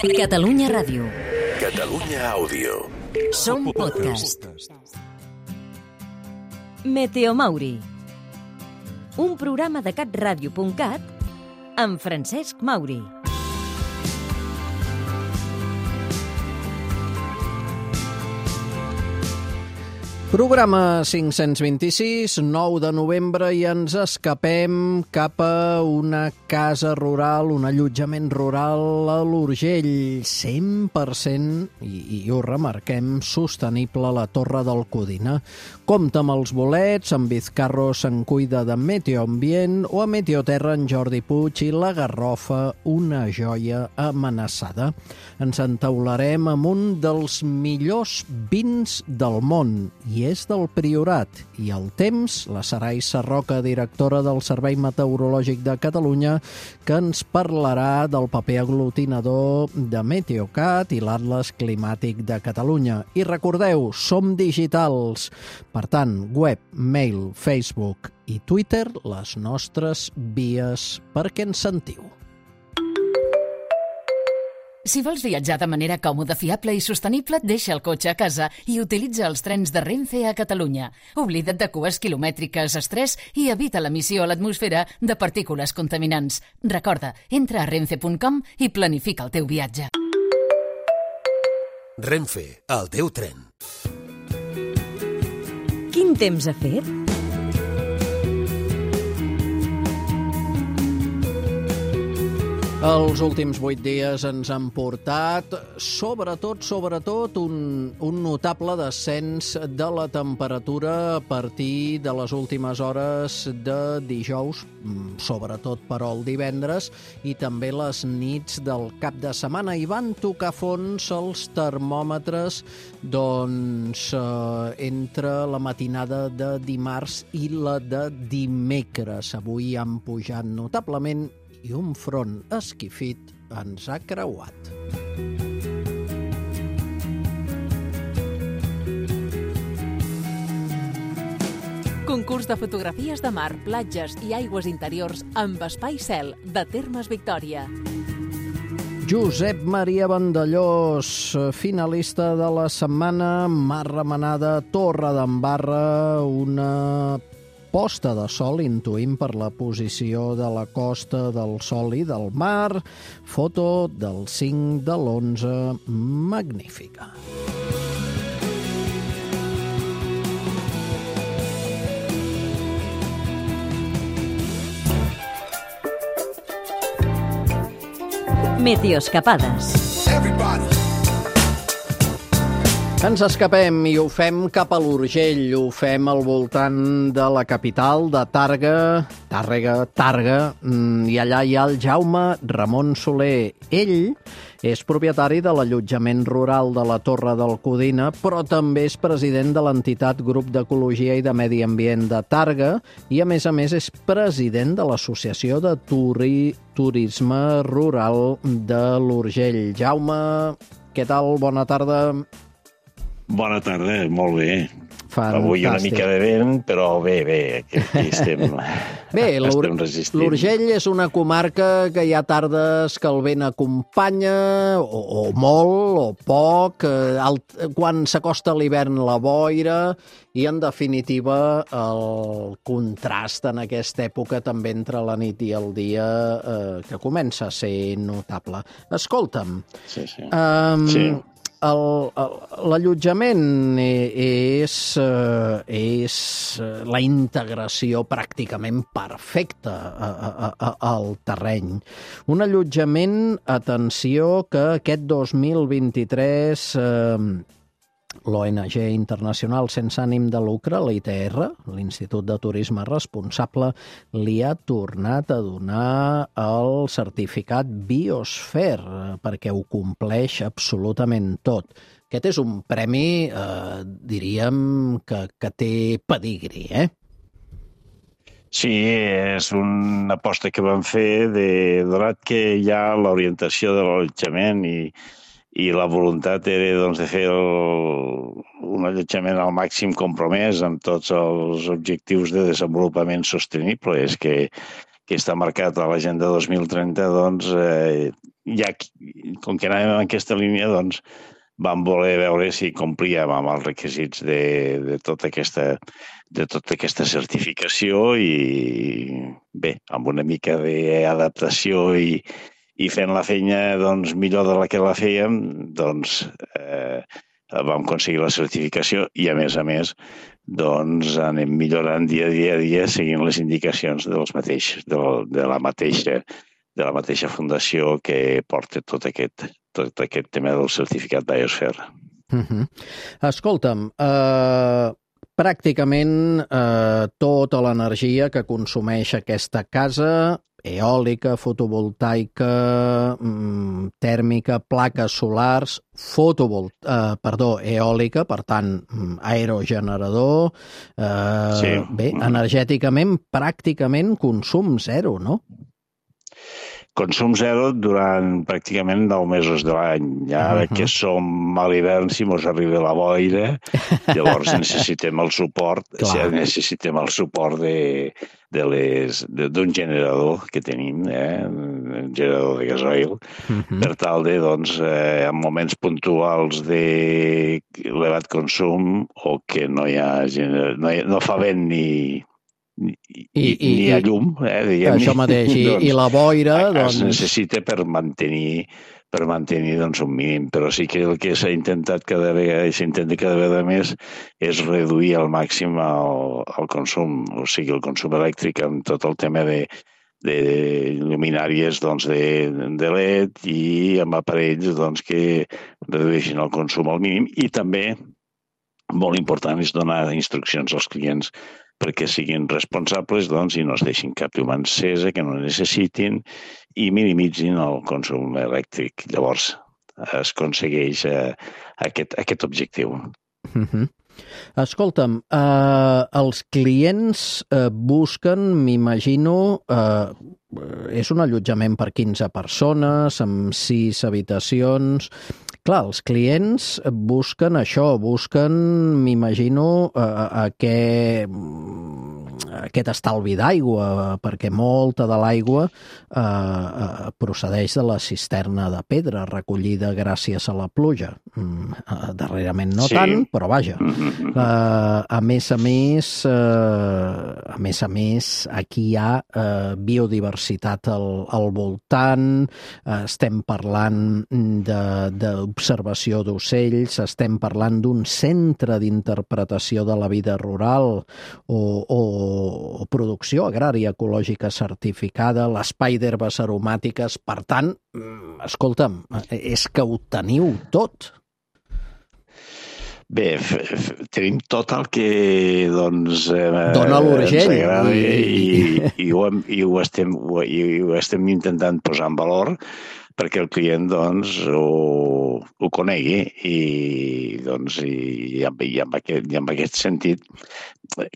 Catalunya Ràdio. Catalunya Àudio. Som podcast. Meteomauri. Un programa de catradio.cat amb Francesc Mauri. Programa 526, 9 de novembre, i ens escapem cap a una casa rural, un allotjament rural a l'Urgell, 100%, i ho remarquem, sostenible a la Torre del Codina. Compta amb els bolets, en Vizcarro se'n cuida de Meteoambient, o a Meteoterra en Jordi Puig i la Garrofa, una joia amenaçada. Ens entaularem amb un dels millors vins del món, i és del Priorat, i el temps, la Sarai Sarroca, directora del Servei Meteorològic de Catalunya, que ens parlarà del paper aglutinador de Meteocat i l'Atles Climàtic de Catalunya. I recordeu, som digitals, per tant, web, mail, Facebook i Twitter, les nostres vies perquè ens sentiu. Si vols viatjar de manera còmoda, fiable i sostenible, deixa el cotxe a casa i utilitza els trens de Renfe a Catalunya. Oblida't de cues quilomètriques, estrès i evita l'emissió a l'atmosfera de partícules contaminants. Recorda, entra a renfe.com i planifica el teu viatge. Renfe, el teu tren. Quin temps ha fet? Els últims 8 dies ens han portat, sobretot, un notable descens de la temperatura a partir de les últimes hores de dijous, sobretot però el divendres, i també les nits del cap de setmana. I van tocar fons els termòmetres entre la matinada de dimarts i la de dimecres. Avui han pujat notablement i un front esquifit ens ha creuat. Concurs de fotografies de mar, platges i aigües interiors amb espai cel de Termes Victòria. Josep Maria Vandellós, finalista de la setmana, Mar Remenada, Torredembarra, una posta de sol, intuïm per la posició de la costa del sol i del mar, foto del 5 de l'11, magnífica. Meteoscapades. Ens escapem i ho fem cap a l'Urgell, ho fem al voltant de la capital, de Tàrrega, i allà hi ha el Jaume Ramon Soler. Ell és propietari de l'allotjament rural de la Torre del Codina, però també és president de l'entitat Grup d'Ecologia i de Medi Ambient de Tàrrega i, a més, és president de l'Associació de Turisme Rural de l'Urgell. Jaume, què tal? Bona tarda. Bona tarda, molt bé. Fantàstic. Avui una mica de vent, però bé, aquí estem, estem resistint. L'Urgell és una comarca que hi ha tardes que el vent acompanya, o molt, o poc, quan s'acosta l'hivern la boira, i en definitiva el contrast en aquesta època també entre la nit i el dia que comença a ser notable. Escolta'm, Sí. l'allotjament és la integració pràcticament perfecta al terreny. Un allotjament, atenció, que aquest 2023 l'ONG internacional sense ànim de lucre, l'ITR, l'Institut de Turisme Responsable, li ha tornat a donar el certificat Biosphere perquè ho compleix absolutament tot. Aquest és un premi, diríem, que té pedigrí, Sí, és una aposta que vam fer donat que hi ha l'orientació de l'allotjament i la voluntat era de fer un allotjament al màxim compromès amb tots els objectius de desenvolupament sostenible. És que està marcat a l'Agenda 2030, ja, com que anàvem en aquesta línia, doncs vam voler veure si complíem amb els requisits de tota aquesta certificació i bé, amb una mica d'adaptació i fent la feina doncs, millor de la que la fèiem, doncs vam aconseguir la certificació i a més doncs anem millorant dia a dia seguint les indicacions de la mateixa fundació que porta tot aquest tema del certificat Biosphere. Escolta'm, pràcticament tota l'energia que consumeix aquesta casa, eòlica, fotovoltaica, tèrmica, plaques solars, eòlica, per tant, aerogenerador, bé, energèticament, pràcticament consum zero, no? Consum zero durant pràcticament 9 mesos de l'any. Ara que som a l'hivern, si mos arriba la boira, llavors necessitem el suport d'un generador que tenim, un generador de gasoil, per tal de, doncs, en moments puntuals d'elevat consum o que no fa vent ni a llum, diguem-ne. Això mateix, i la boira... Es necessita per mantenir doncs, un mínim, però sí que el que s'intenta cada vegada més és reduir al màxim el consum, o sigui, el consum elèctric amb tot el tema de lluminàries doncs, de LED i amb aparells doncs, que redueixin el consum al mínim i també, molt important, és donar instruccions als clients perquè siguin responsables doncs, i no es deixin cap llum encesa que no necessitin i minimitzin el consum elèctric. Llavors es aconsegueix aquest objectiu. Escolta'm, els clients busquen, m'imagino, és un allotjament per 15 persones, amb 6 habitacions... Clar, els clients busquen això, m'imagino, aquest estalvi d'aigua, perquè molta de l'aigua procedeix de la cisterna de pedra recollida gràcies a la pluja. Darrerament no tant, però vaja. A més a més, aquí hi ha biodiversitat al voltant, estem parlant d'observació d'ocells, estem parlant d'un centre d'interpretació de la vida rural o producció agrària ecològica certificada, l'espai d'herbes aromàtiques. Per tant, escolta'm, és que ho teniu tot. Bé, tenim tot el que doncs, dona l'Urgell ens agrada i ho estem intentant posar en valor perquè el client doncs, ho conegui i en aquest sentit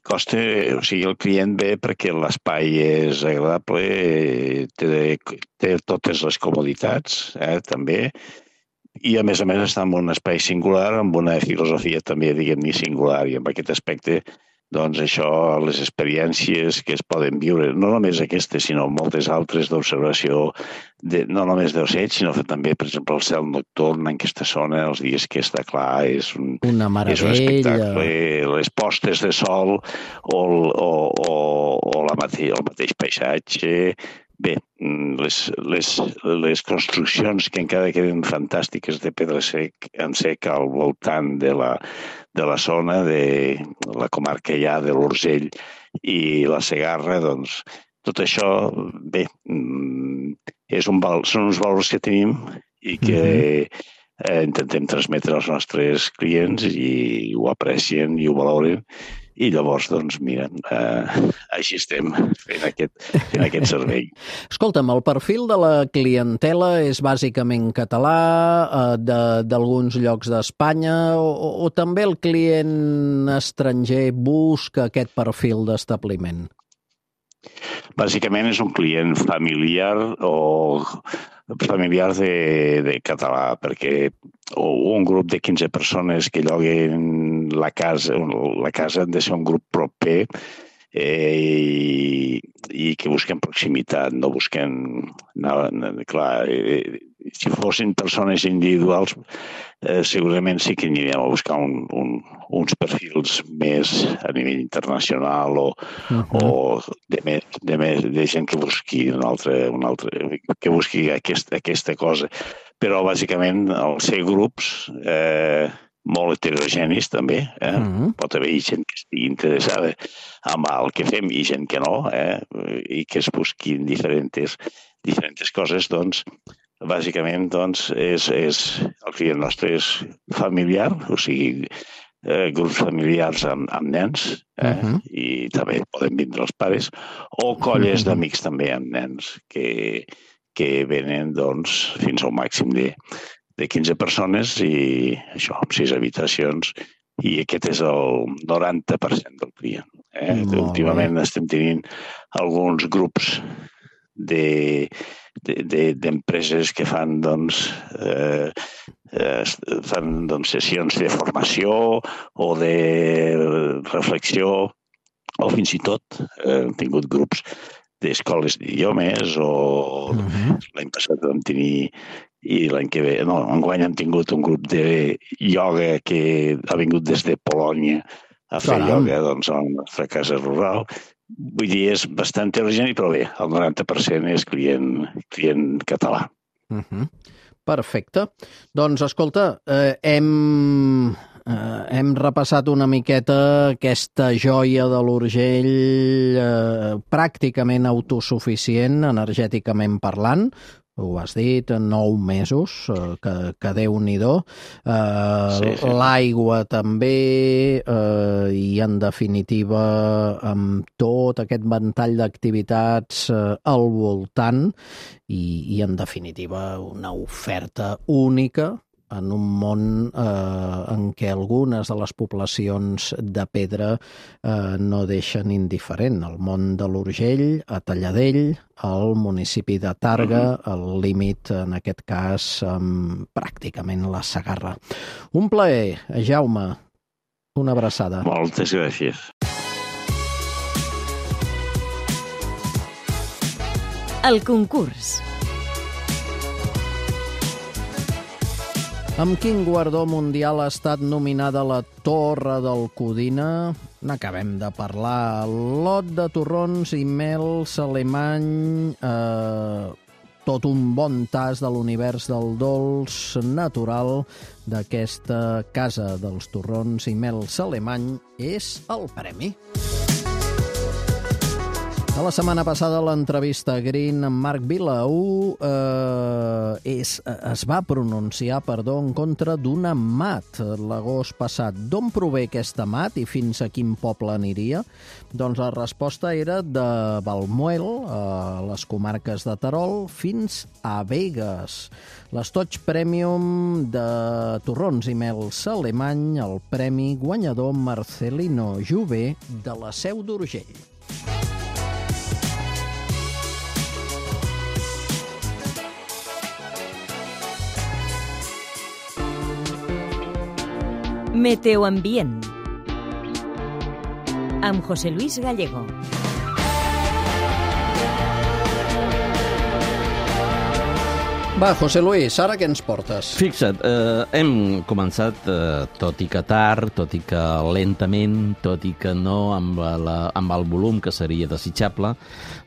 costa, o sigui, el client ve perquè l'espai és agradable, té totes les comoditats, també, i a més està en un espai singular, amb una filosofia també, diguem-ne, singular, i en aquest aspecte doncs això, les experiències que es poden viure, no només aquestes, sinó moltes altres d'observació, no només d'ocells, sinó també, per exemple, el cel nocturn en aquesta zona, els dies que està clar, és un espectacle, les postes de sol o el mateix paisatge. Bé, les construccions que encara queden fantàstiques de pedra en sec al voltant de la zona, de la comarca ja de l'Urgell i la Segarra, doncs tot això, bé, són uns valors que tenim i que intentem transmetre als nostres clients i ho aprecien i ho valoren. I llavors, doncs, mira, així estem fent aquest servei. Escolta'm, el perfil de la clientela és bàsicament català, d'alguns llocs d'Espanya, o també el client estranger busca aquest perfil d'establiment? Bàsicament és un client familiar de català, perquè un grup de 15 persones que lloguen la casa han de ser un grup proper i que busquen proximitat, no busquen... Clar, si fossin persones individuals, segurament sí que anirem a buscar uns perfils més a nivell internacional o de gent que busqui que busqui aquesta cosa. Però, bàsicament, al ser grups molt heterogenis, també. Pot haver gent que estigui interessada en el que fem i gent que no, i que es busquin diferents coses, doncs, bàsicament, doncs, el client nostre és familiar, o sigui, grups familiars amb nens, i també poden vindre els pares, o colles d'amics també amb nens, que venen, doncs, fins al màxim de 15 persones i això, amb 6 habitacions, i aquest és el 90% del client. Últimament estem tenint alguns grups d'empreses que fan sessions de formació o de reflexió, o fins i tot hem tingut grups d'escoles d'idiomes, o l'any passat vam tenir, i l'any que ve, no, enguany hem tingut un grup de ioga que ha vingut des de Polònia a fer ioga, doncs, a la nostra casa rural. Vull dir, és bastant heterogeni, però bé, el 90% és client català. Perfecte. Doncs, escolta, hem repassat una miqueta aquesta joia de l'Urgell, pràcticament autosuficient, energèticament parlant. Ho has dit, 9 mesos, que Déu-n'hi-do. L'aigua també, i en definitiva amb tot aquest ventall d'activitats al voltant i en definitiva una oferta única en un món en què algunes de les poblacions de pedra no deixen indiferent. El món de l'Urgell, a Talladell, al municipi de Tàrrega, al límit, en aquest cas, amb pràcticament la Segarra. Un plaer, Jaume. Una abraçada. Moltes gràcies. El concurs. Amb quin guardó mundial ha estat nominada la Torre del Codina? N'acabem de parlar. Lot de torrons i mels alemany, tot un bon tas de l'univers del dolç natural d'aquesta casa dels torrons i mels alemany és el premi. A la setmana passada, l'entrevista a Green amb Marc Vilaú es va pronunciar, en contra d'una mat l'agost passat. D'on prové aquesta mat i fins a quin poble aniria? Doncs la resposta era de Valmuel, a les comarques de Terol, fins a Begues. L'estoig Premium de torrons i mels alemany, el premi guanyador Marcelino Jové de la Seu d'Urgell. Meteoambient amb José Luis Gallego. Va, José Luis, ara què ens portes? Fixa't, hem començat, tot i que tard, tot i que lentament, tot i que no amb el volum que seria desitjable,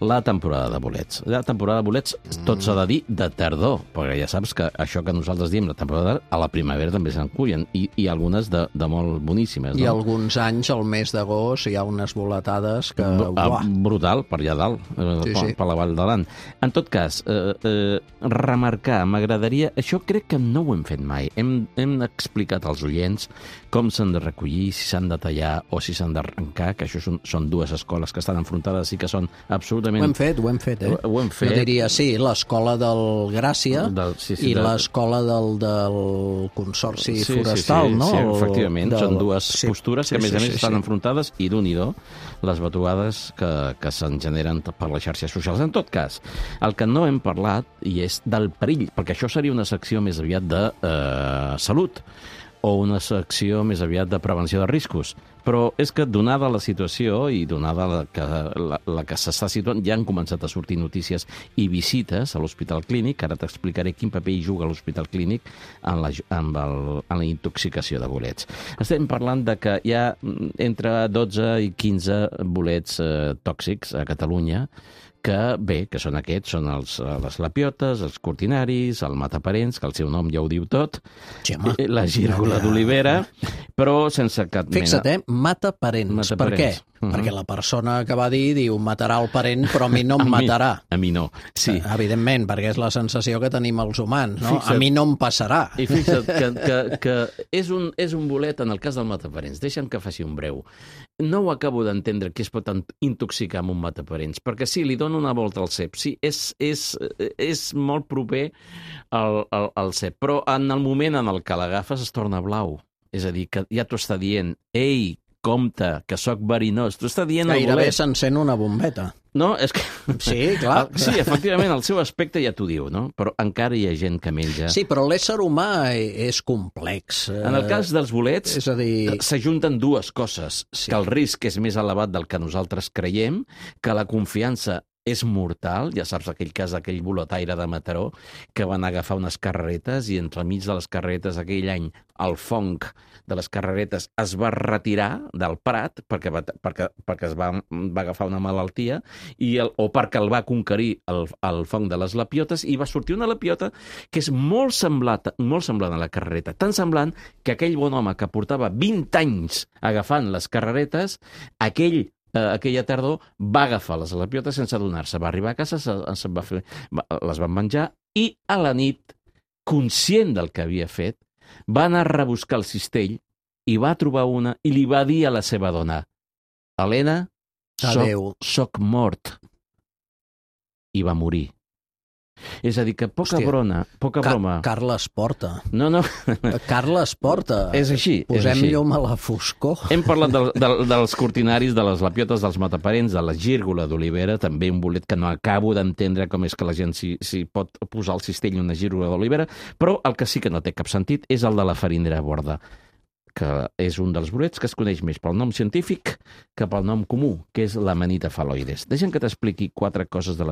la temporada de bolets. La temporada de bolets, tot s'ha de dir, de tardor, perquè ja saps que això que nosaltres diem, la temporada a la primavera també se'n cullen, i algunes de molt boníssimes. I alguns anys, al mes d'agost, hi ha unes boletades que... Brutal, per allà dalt, per la Vall d'Aran. En tot cas, m'agradaria... Això crec que no ho hem fet mai. Hem explicat als oients com s'han de recollir, si s'han de tallar o si s'han d'arrencar, que això són dues escoles que estan enfrontades i que són absolutament... Ho hem fet, Ho hem fet. Jo diria, sí, l'escola del Gràcia i l'escola del Consorci Forestal, no? Sí, efectivament. Són dues postures que, a més a més, estan enfrontades i d'un-i-do les batuades que se'n generen per les xarxes socials. En tot cas, el que no hem parlat i és del perill, perquè això seria una secció més aviat de salut. o una secció més aviat de prevenció de riscos. Però és que, donada la situació i donada la que s'està situant, ja han començat a sortir notícies i visites a l'Hospital Clínic. Ara t'explicaré quin paper hi juga l'Hospital Clínic en la intoxicació de bolets. Estem parlant de que hi ha entre 12 i 15 bolets tòxics a Catalunya, que són aquests, són les lapiotes, els cortinaris, el mataparents, que el seu nom ja ho diu tot, la gírgola d'olivera, però sense cap mena... Fixa't, mataparents. Per què? Perquè la persona que va dir diu matarà el parent, però a mi no em matarà. A mi no, sí. Evidentment, perquè és la sensació que tenim els humans, no? A mi no em passarà. I fixa't que és un bolet, en el cas del mataparents. Deixa'm que faci un breu. No ho acabo d'entendre qui es pot intoxicar amb un mataparents, perquè sí, li dono una volta al cep. Sí, és molt proper al cep, però en el moment en el que l'agafes es torna blau. És a dir, que ja t'ho està dient, ei, compte, que sóc verinós. T'ho està dient el bolet. Gairebé s'encén una bombeta. No, és que... Sí, clar. Sí, efectivament, el seu aspecte ja t'ho diu, no? Però encara hi ha gent que menja... Sí, però l'ésser humà és complex. En el cas dels bolets, és a dir... s'ajunten dues coses. Sí. Que el risc és més elevat del que nosaltres creiem, que la confiança és mortal. Ja saps aquell cas d'aquell boletaire de Mataró que van agafar unes carreretes i entremig de les carreretes aquell any el fong de les carreretes es va retirar del Prat perquè es va agafar una malaltia o perquè el va conquerir el fong de les lapiotes i va sortir una lapiota que és molt semblant a la carrereta, tan semblant que aquell bon home que portava 20 anys agafant les carreretes, aquella tardor va agafar les lapiotes sense adonar-se. Va arribar a casa, les van menjar i a la nit, conscient del que havia fet, va anar a rebuscar el cistell i va trobar una i li va dir a la seva dona: Helena, soc mort. I va morir. És a dir, que poca broma... Carles Porta. No. Carles Porta. És així. Posem llum a la foscor. Hem parlat dels cortinaris, de les lapiotes, dels mataparents, de la gírgola d'olivera, també un bolet que no acabo d'entendre com és que la gent s'hi pot posar al cistell una gírgola d'olivera, però el que sí que no té cap sentit és el de la farinera borda, que és un dels bolets que es coneix més pel nom científic que pel nom comú, que és l'Amanita phalloides. Deixa'm que t'expliqui 4 coses de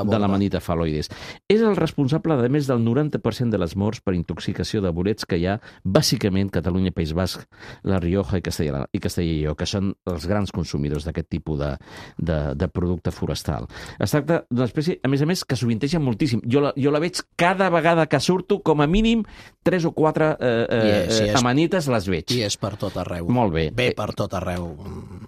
l'Amanita phalloides. És el responsable de més del 90% de les morts per intoxicació de bolets que hi ha, bàsicament Catalunya, País Basc, La Rioja i Castella i Lleó, que són els grans consumidors d'aquest tipus de producte forestal. Es tracta d'una espècie, a més, que sovinteja moltíssim. Jo la veig cada vegada que surto, com a mínim 3 o 4 amanites les veig. I és per tot arreu. Molt bé. Ve per tot arreu.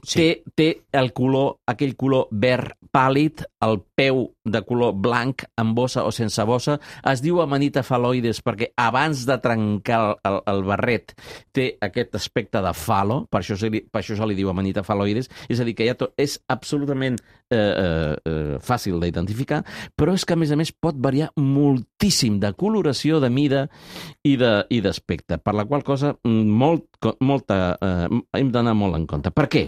Sí. Té el color, aquell color verd pàl·lid, el peu de color blanc, amb bossa o sense bossa. Es diu Amanita phalloides perquè abans de trencar el barret té aquest aspecte de falo, per això se li diu Amanita phalloides. És a dir, que és absolutament fàcil d'identificar, però és que, a més, pot variar moltíssim de coloració, de mida i d'aspecte, per la qual cosa hem d'anar molt en compte. Per què?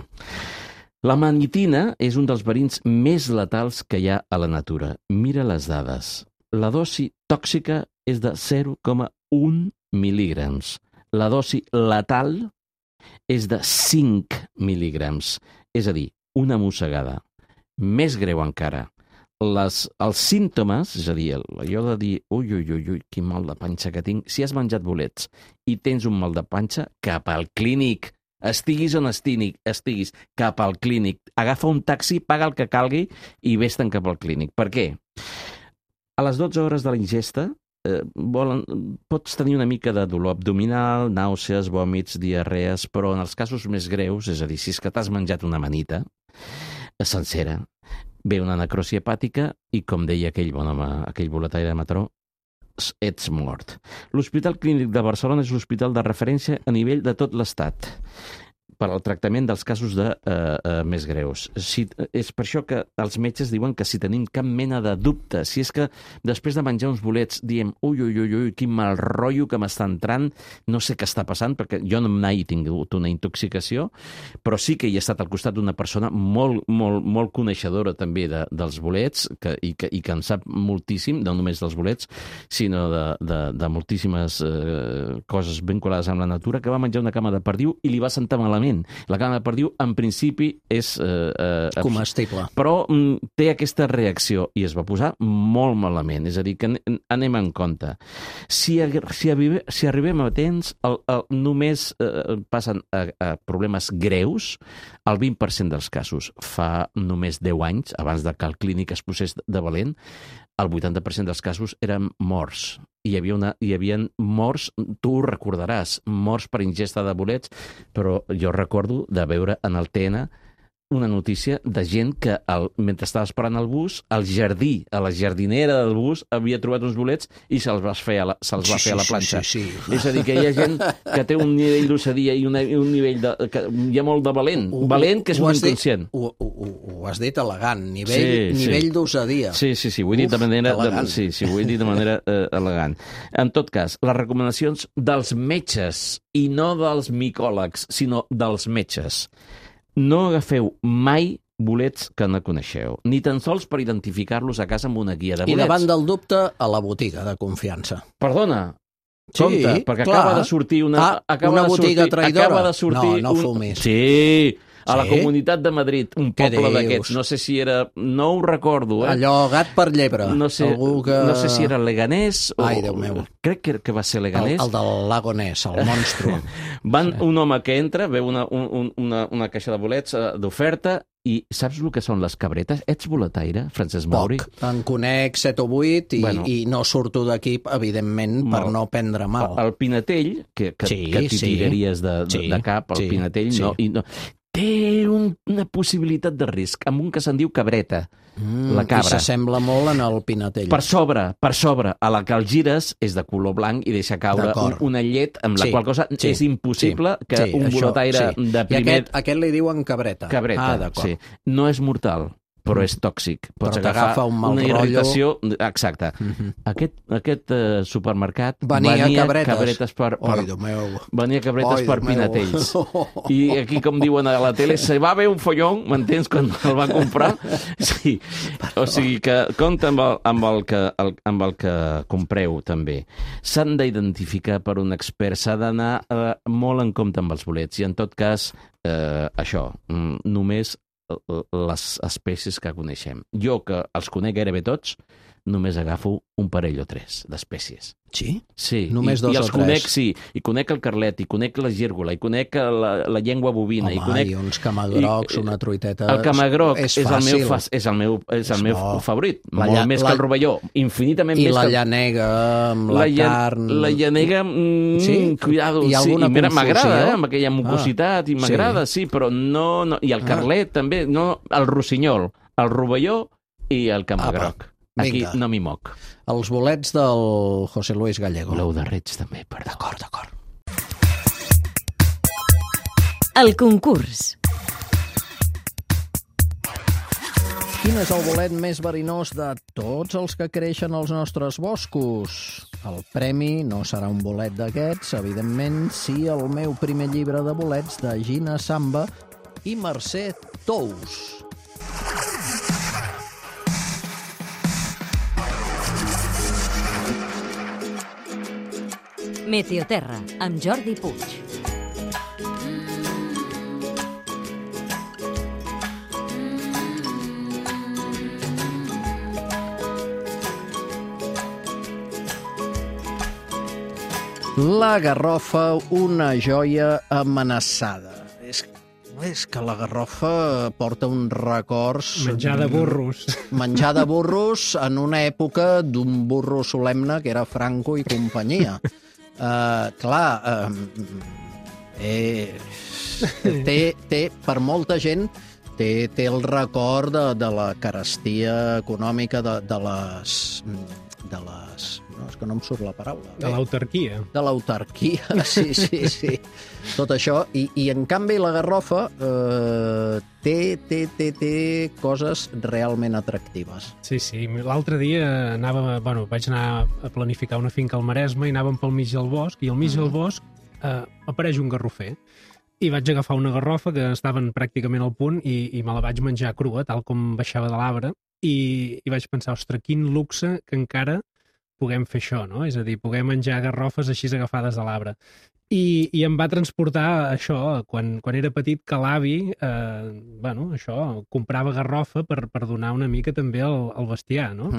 La manitina és un dels verins més letals que hi ha a la natura. Mira les dades. La dosi tòxica és de 0,1 mil·lígrams. La dosi letal és de 5 mil·lígrams. És a dir, una mossegada. Més greu encara. Els símptomes, és a dir, allò de dir ui, quin mal de panxa que tinc, si has menjat bolets i tens un mal de panxa, cap al clínic. Estiguis on estiguis, cap al clínic. Agafa un taxi, paga el que calgui i vés-te'n cap al clínic. Per què? A les 12 hores de la ingesta pots tenir una mica de dolor abdominal, nàusees, vòmits, diarrees, però en els casos més greus, és a dir, si és que t'has menjat una amanita sencera, ve una necrosi hepàtica i, com deia aquell bon home, aquell boletaire de Mataró, ets mort. L'Hospital Clínic de Barcelona és l'hospital de referència a nivell de tot l'Estat. per al tractament dels casos més greus. És per això que els metges diuen que si tenim cap mena de dubte, si és que després de menjar uns bolets diem ui, quin mal rotllo que m'està entrant, no sé què està passant, perquè jo no mai he tingut una intoxicació, però sí que hi he estat al costat d'una persona molt coneixedora també dels bolets i que en sap moltíssim, no només dels bolets, sinó de moltíssimes coses vinculades amb la natura, que va menjar una cama de perdiu i li va sentar malament. La cama de perdiu, en principi, és comestible. Però té aquesta reacció i es va posar molt malament. És a dir, que anem en compte. Si arribem a temps, només passen a problemes greus el 20% dels casos. Fa només 10 anys, abans que el clínic es posés de valent, el 80% dels casos eren morts. Hi havia morts, tu ho recordaràs, morts per ingesta de bolets, però jo recordo de veure en el TN una notícia de gent que, mentre estava esperant el bus, al jardí, a la jardinera del bus, havia trobat uns bolets i se'ls va fer a la planxa. Sí. És a dir, que hi ha gent que té un nivell d'ossadia i un nivell que hi ha molt de valent. Valent, que és un inconscient. Ho has dit elegant, nivell d'osadia. Sí, ho he dit de manera elegant. Sí, ho he dit de manera elegant. En tot cas, les recomanacions dels metges, i no dels micòlegs, sinó dels metges. No agafeu mai bolets que no coneixeu, ni tan sols per identificar-los a casa amb una guia de bolets. I davant del dubte, a la botiga de confiança. Perdona, compte, perquè acaba de sortir una botiga traïdora. No fumis. Sí, a la Comunitat de Madrid, un poble d'aquests, no sé si era... No ho recordo, Allò gat per llebre. No sé si era Leganés o... Ai, Déu meu. Crec que va ser Leganés. El del Lago Ness, el monstru. Un home que entra, veu una caixa de bolets d'oferta i saps el que són les cabretes? Ets boletaire, Francesc Mauri? Poc. En conec 7 o 8 i no surto d'aquí, evidentment, per no prendre mal. El Pinatell, que t'hi tiraries de cap, el Pinatell, no... Té una possibilitat de risc, amb un que se'n diu cabreta, la cabra. I s'assembla molt en el Pinatell. Per sobre, a la que el gires és de color blanc i deixa caure una llet, amb la qual cosa és impossible que un boletaire de primer... I aquest li diuen cabreta. Cabreta, sí. No és mortal, però és tòxic. Pots agafar una irritació... Exacte. Aquest supermercat venia cabretes per Pinatells. I aquí, com diuen a la tele, se va haver un follón, m'entens, quan el va comprar? Sí. O sigui que compta amb el que compreu, també. S'han d'identificar per un expert, s'ha d'anar molt en compte amb els bolets. I, en tot cas, això, només les espècies que coneixem. Jo, que els conec gairebé tots, només agafo un parell o 3 d'espècies. Sí? Sí. Només 2 o 3? I els conec, sí. I conec el carlet, i conec la gírgola, i conec la llengua bovina. Home, i uns camagrocs, una truiteta... El camagroc és el meu favorit. Molt més que el rovelló. Infinitament més que... I la llanega, amb la carn... La llanega, cuidado. Hi ha alguna confusió? M'agrada, amb aquella mucositat, i m'agrada, sí, però no... I el carlet, també, no... El rossinyol, el rovelló i el camagroc. Aquí no m'hi moc. Els bolets del José Luis Gallego. L'ou de Reig també, perdó. D'acord. El concurs. Quin és el bolet més verinós de tots els que creixen als nostres boscos? El premi no serà un bolet d'aquests, evidentment, sí el meu primer llibre de bolets de Gina Samba i Mercè Tous. Meteoterra, amb Jordi Puig. La garrofa, una joia amenaçada. És que la garrofa porta uns records... Menjar de burros. Menjar de burros en una època d'un burro solemne que era Franco i companyia. Per molta gent té el record de la carestia econòmica de les és que no em surt la paraula. De l'autarquia. De l'autarquia, sí. Tot això. I en canvi la garrofa té coses realment atractives. Sí. L'altre dia vaig anar a planificar una finca al Maresme i anàvem pel mig del bosc, i al mig del bosc apareix un garrofer. I vaig agafar una garrofa que estaven pràcticament al punt i me la vaig menjar crua, tal com baixava de l'arbre, i vaig pensar, ostres, quin luxe que encara puguem fer això, no? És a dir, poder menjar garrofes així agafades de l'arbre. I em va transportar això, quan era petit, que l'avi, comprava garrofa per donar una mica també al bestiar, no?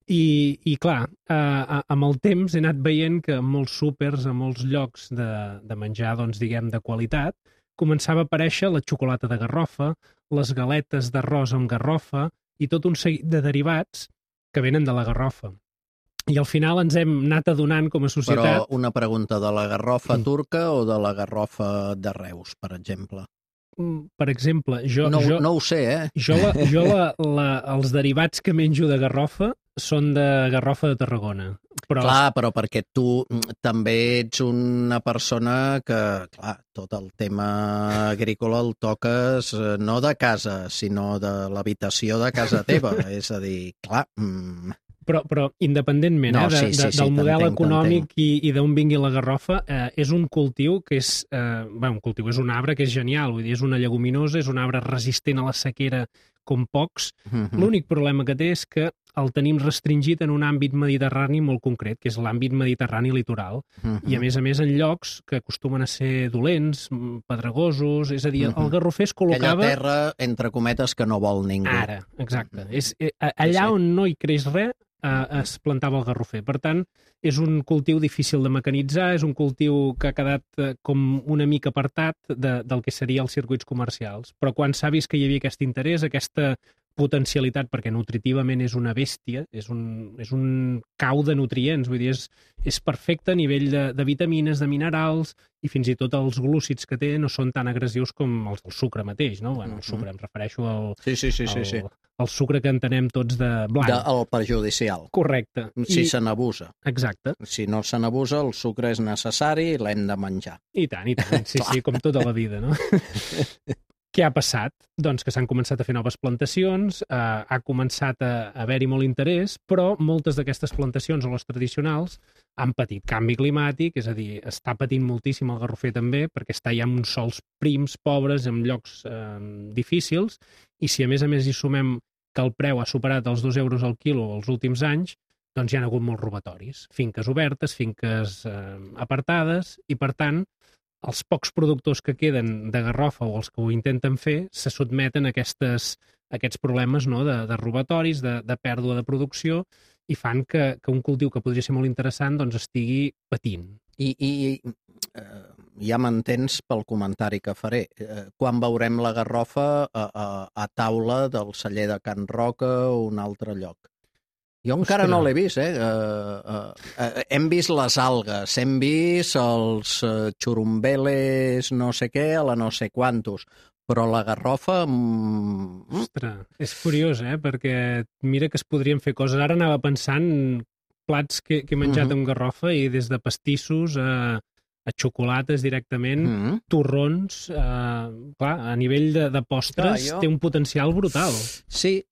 I clar, amb el temps he anat veient que en molts súpers, en molts llocs de menjar, doncs, diguem, de qualitat, començava a aparèixer la xocolata de garrofa, les galetes d'arròs amb garrofa i tot un seguit de derivats que venen de la garrofa. I al final ens hem anat adonant com a societat... Però una pregunta, de la garrofa turca o de la garrofa de Reus, per exemple? Per exemple, No ho sé, eh? Jo els derivats que menjo de garrofa són de garrofa de Tarragona. Clar, però perquè tu també ets una persona que, clar, tot el tema agrícola el toques no de casa, sinó de l'habitació de casa teva. És a dir, clar... Però independentment del model econòmic i d'on vingui la garrofa, és un cultiu que és... és un arbre que és genial, vull dir, és una lleguminosa, és un arbre resistent a la sequera com pocs. L'únic problema que té és que el tenim restringit en un àmbit mediterrani molt concret, que és l'àmbit mediterrani litoral, i a més en llocs que acostumen a ser dolents, pedregosos, és a dir, el garrofer es col·locava... Aquella terra, entre cometes, que no vol ningú. Ara, exacte. Allà on no hi creix res, es plantava el garrofer. Per tant, és un cultiu difícil de mecanitzar, és un cultiu que ha quedat com una mica apartat del que serien els circuits comercials. Però quan s'ha vist que hi havia aquest interès, aquesta potencialitat, perquè nutritivament és una bèstia, és un cau de nutrients, vull dir, és perfecte a nivell de vitamines, de minerals, i fins i tot els glúcids que té no són tan agressius com els del sucre mateix, no? Bueno, el sucre, em refereixo al sucre que entenem tots de blanc. El perjudicial. Correcte. Si se n'abusa. Exacte. Si no se n'abusa, el sucre és necessari i l'hem de menjar. I tant, sí, com tota la vida, no? Què ha passat? Doncs que s'han començat a fer noves plantacions, ha començat a haver-hi molt interès, però moltes d'aquestes plantacions, o les tradicionals, han patit canvi climàtic, és a dir, està patint moltíssim el garrofer també, perquè està ja en uns sols prims, pobres, en llocs difícils, i si a més hi sumem que el preu ha superat els 2 euros al quilo els últims anys, doncs hi ha hagut molts robatoris. Finques obertes, finques apartades, i per tant, els pocs productors que queden de garrofa o els que ho intenten fer se sotmeten a aquests problemes, no?, de robatoris, de pèrdua de producció, i fan que un cultiu que podria ser molt interessant doncs estigui patint. I ja m'entens pel comentari que faré. Quan veurem la garrofa a taula del celler de Can Roca o un altre lloc? Jo encara no l'he vist, hem vist les algues, hem vist els xurumbeles no sé què a la no sé quantos, però la garrofa... Ostres, és curiós, perquè mira que es podrien fer coses. Ara anava pensant plats que he menjat amb garrofa i des de pastissos a xocolates directament, torrons, clar, a nivell de postres té un potencial brutal. Sí,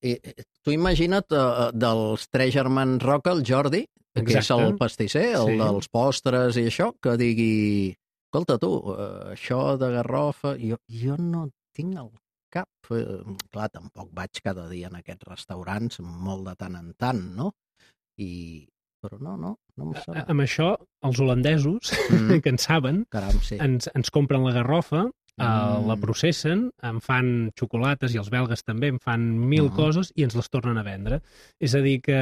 tu imagina't dels 3 germans Roca, el Jordi, que és el pastisser, el dels postres i això, que digui, escolta tu, això de garrofa, jo no tinc el cap. Clar, tampoc vaig cada dia en aquests restaurants, molt de tant en tant, no? Però no em sembla. Amb això, els holandesos, que en saben, ens compren la garrofa, la processen, en fan xocolates, i els belgues també en fan 1000 coses, i ens les tornen a vendre. És a dir que...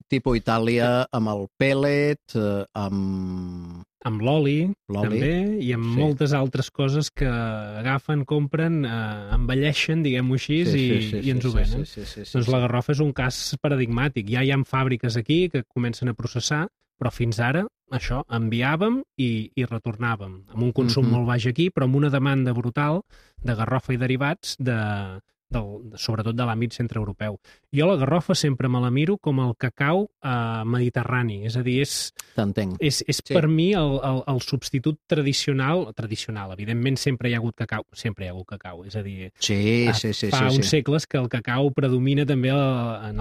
Tipo Itàlia, amb el pellet, amb l'oli, també, i amb moltes altres coses que agafen, compren, envelleixen, diguem-ho així, i ens ho venen. Doncs la garrofa és un cas paradigmàtic. Ja hi ha fàbriques aquí que comencen a processar, però fins ara, això, enviàvem i retornàvem, amb un consum molt baix aquí, però amb una demanda brutal de garrofa i derivats sobretot de l'àmbit centreeuropeu. Jo la garrofa sempre me la miro com el cacau mediterrani, és a dir, T'entenc. és per mi el substitut tradicional, evidentment sempre hi ha hagut cacau, és a dir, fa uns segles que el cacau predomina també en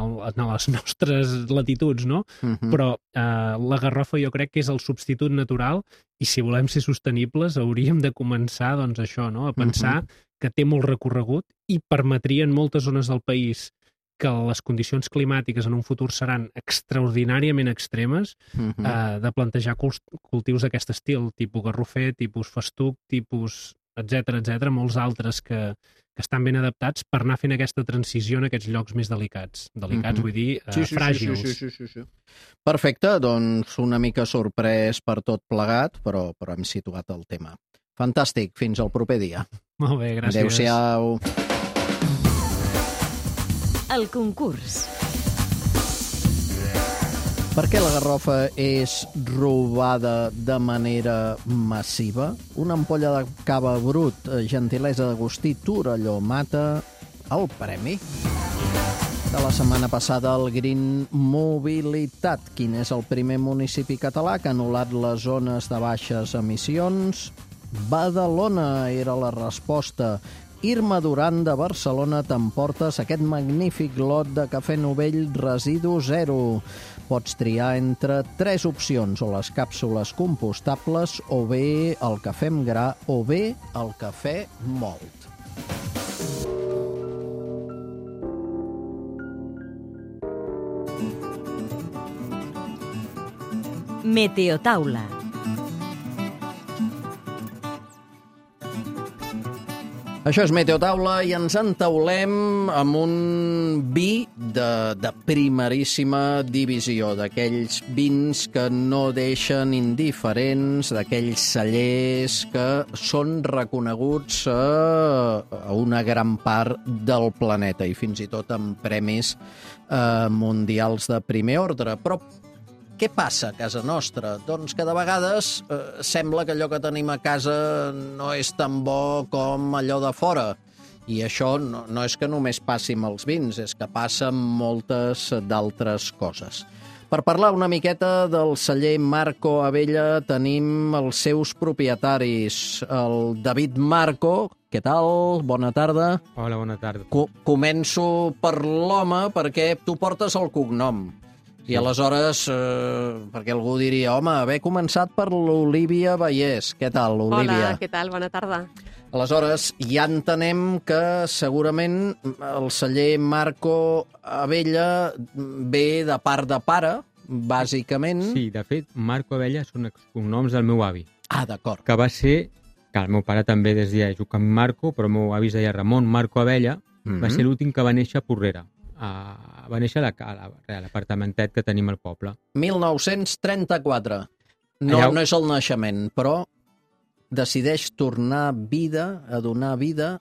les nostres latituds, no? Però la garrofa jo crec que és el substitut natural i si volem ser sostenibles hauríem de començar, doncs això, no? A pensar que té molt recorregut i permetria en moltes zones del país que les condicions climàtiques en un futur seran extraordinàriament extremes, de plantejar cultius d'aquest estil, tipus garrofer, tipus festuc, tipus etc, molts altres que estan ben adaptats per anar fent aquesta transició en aquests llocs més delicats. Delicats, vull dir, fràgils. Sí. Perfecte, doncs una mica sorprès per tot plegat, però hem situat el tema. Fantàstic, fins al proper dia. Molt bé, gràcies. Adéu-siau. El concurs. Per què la garrofa és robada de manera massiva? Una ampolla de cava brut, gentilesa d'Agustí Torelló, mata el premi de la setmana passada al Green Mobilitat. Quin és el primer municipi català que ha anul·lat les zones de baixes emissions? Badalona era la resposta. Irma Duran de Barcelona, t'emportes aquest magnífic lot de cafè Novell Residu Zero. Pots triar entre 3 opcions, o les càpsules compostables, o bé el cafè amb gra, o bé el cafè mòlt. Meteotaula. Això és Meteotaula i ens entaulem amb un vi de primeríssima divisió, d'aquells vins que no deixen indiferents, d'aquells cellers que són reconeguts a una gran part del planeta i fins i tot amb premis mundials de primer ordre. Però què passa a casa nostra? Doncs que de vegades sembla que allò que tenim a casa no és tan bo com allò de fora. I això no és que només passi amb els vins, és que passa amb moltes d'altres coses. Per parlar una miqueta del celler Marco Abella tenim els seus propietaris. El David Marco, què tal? Bona tarda. Hola, bona tarda. Començo per l'home perquè tu portes el cognom. I aleshores, perquè algú diria, home, haver començat per l'Olívia Vallès. Què tal, Olívia? Hola, què tal? Bona tarda. Aleshores, ja entenem que segurament el celler Marco Abella ve de part de pare, bàsicament. Sí, de fet, Marco Abella són els cognoms del meu avi. Ah, d'acord. Que va ser, que el meu pare també des deia Joaquim Marco, però el meu avi es deia Ramon Marco Abella, va ser l'últim que va néixer a Porrera. Va néixer a l'apartamentet que tenim al poble. 1934. No és el naixement, però decideix tornar vida, a donar vida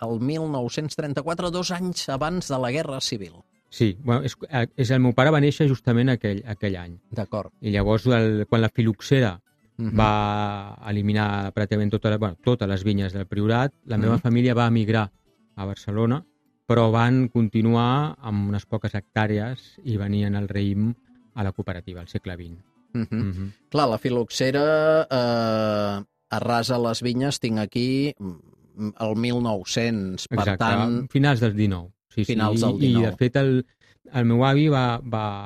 el 1934, 2 anys abans de la Guerra Civil. Sí, bueno, el meu pare va néixer justament aquell any. D'acord. I llavors, quan la filoxera va eliminar pràcticament totes les vinyes del Priorat, la meva família va emigrar a Barcelona, però van continuar amb unes poques hectàrees i venien al raïm a la cooperativa, al segle XX. Clar, la filoxera arrasa les vinyes, tinc aquí el 1900, per tant... Finals del 19. Sí, finals del 19. I, de fet, el meu avi va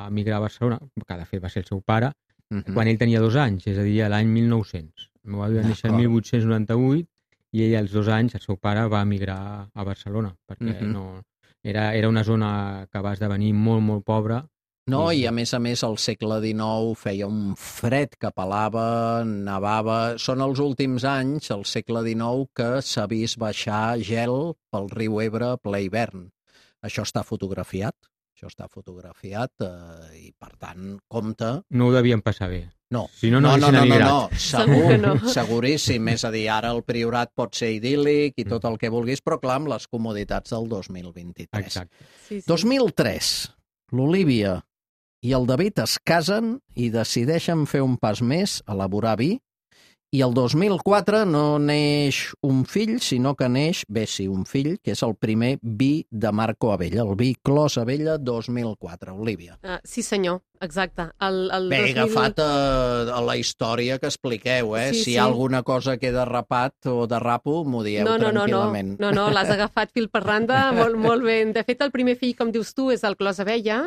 emigrar a Barcelona, que de fet va ser el seu pare, quan ell tenia 2 anys, és a dir, l'any 1900. El meu avi va néixer el 1898, i ell als 2 anys, el seu pare, va emigrar a Barcelona, perquè era una zona que va esdevenir molt, molt pobra. No, i a més, al segle XIX feia un fred que pelava, nevava... Són els últims anys, al segle XIX, que s'ha vist baixar gel pel riu Ebre ple hivern. Això està fotografiat, i, per tant, compte... No ho devien passar bé. No, si no segur, seguríssim. És a dir, ara el Priorat pot ser idíl·lic i tot el que vulguis, però clar, amb les comoditats del 2023. Exacte. Sí. 2003, l'Olívia i el David es casen i decideixen fer un pas més, elaborar vi, I el 2004 no neix un fill, sinó que neix, un fill, que és el primer vi de Marco Abella, el vi Clos Abella 2004. Olívia. Sí, senyor, exacte. Bé, he agafat a la història que expliqueu, si hi ha alguna cosa que he derrapat o derrapo, m'ho dieu tranquil·lament. No, l'has agafat fil per randa, molt bé. De fet, el primer fill, com dius tu, és el Clos Abella,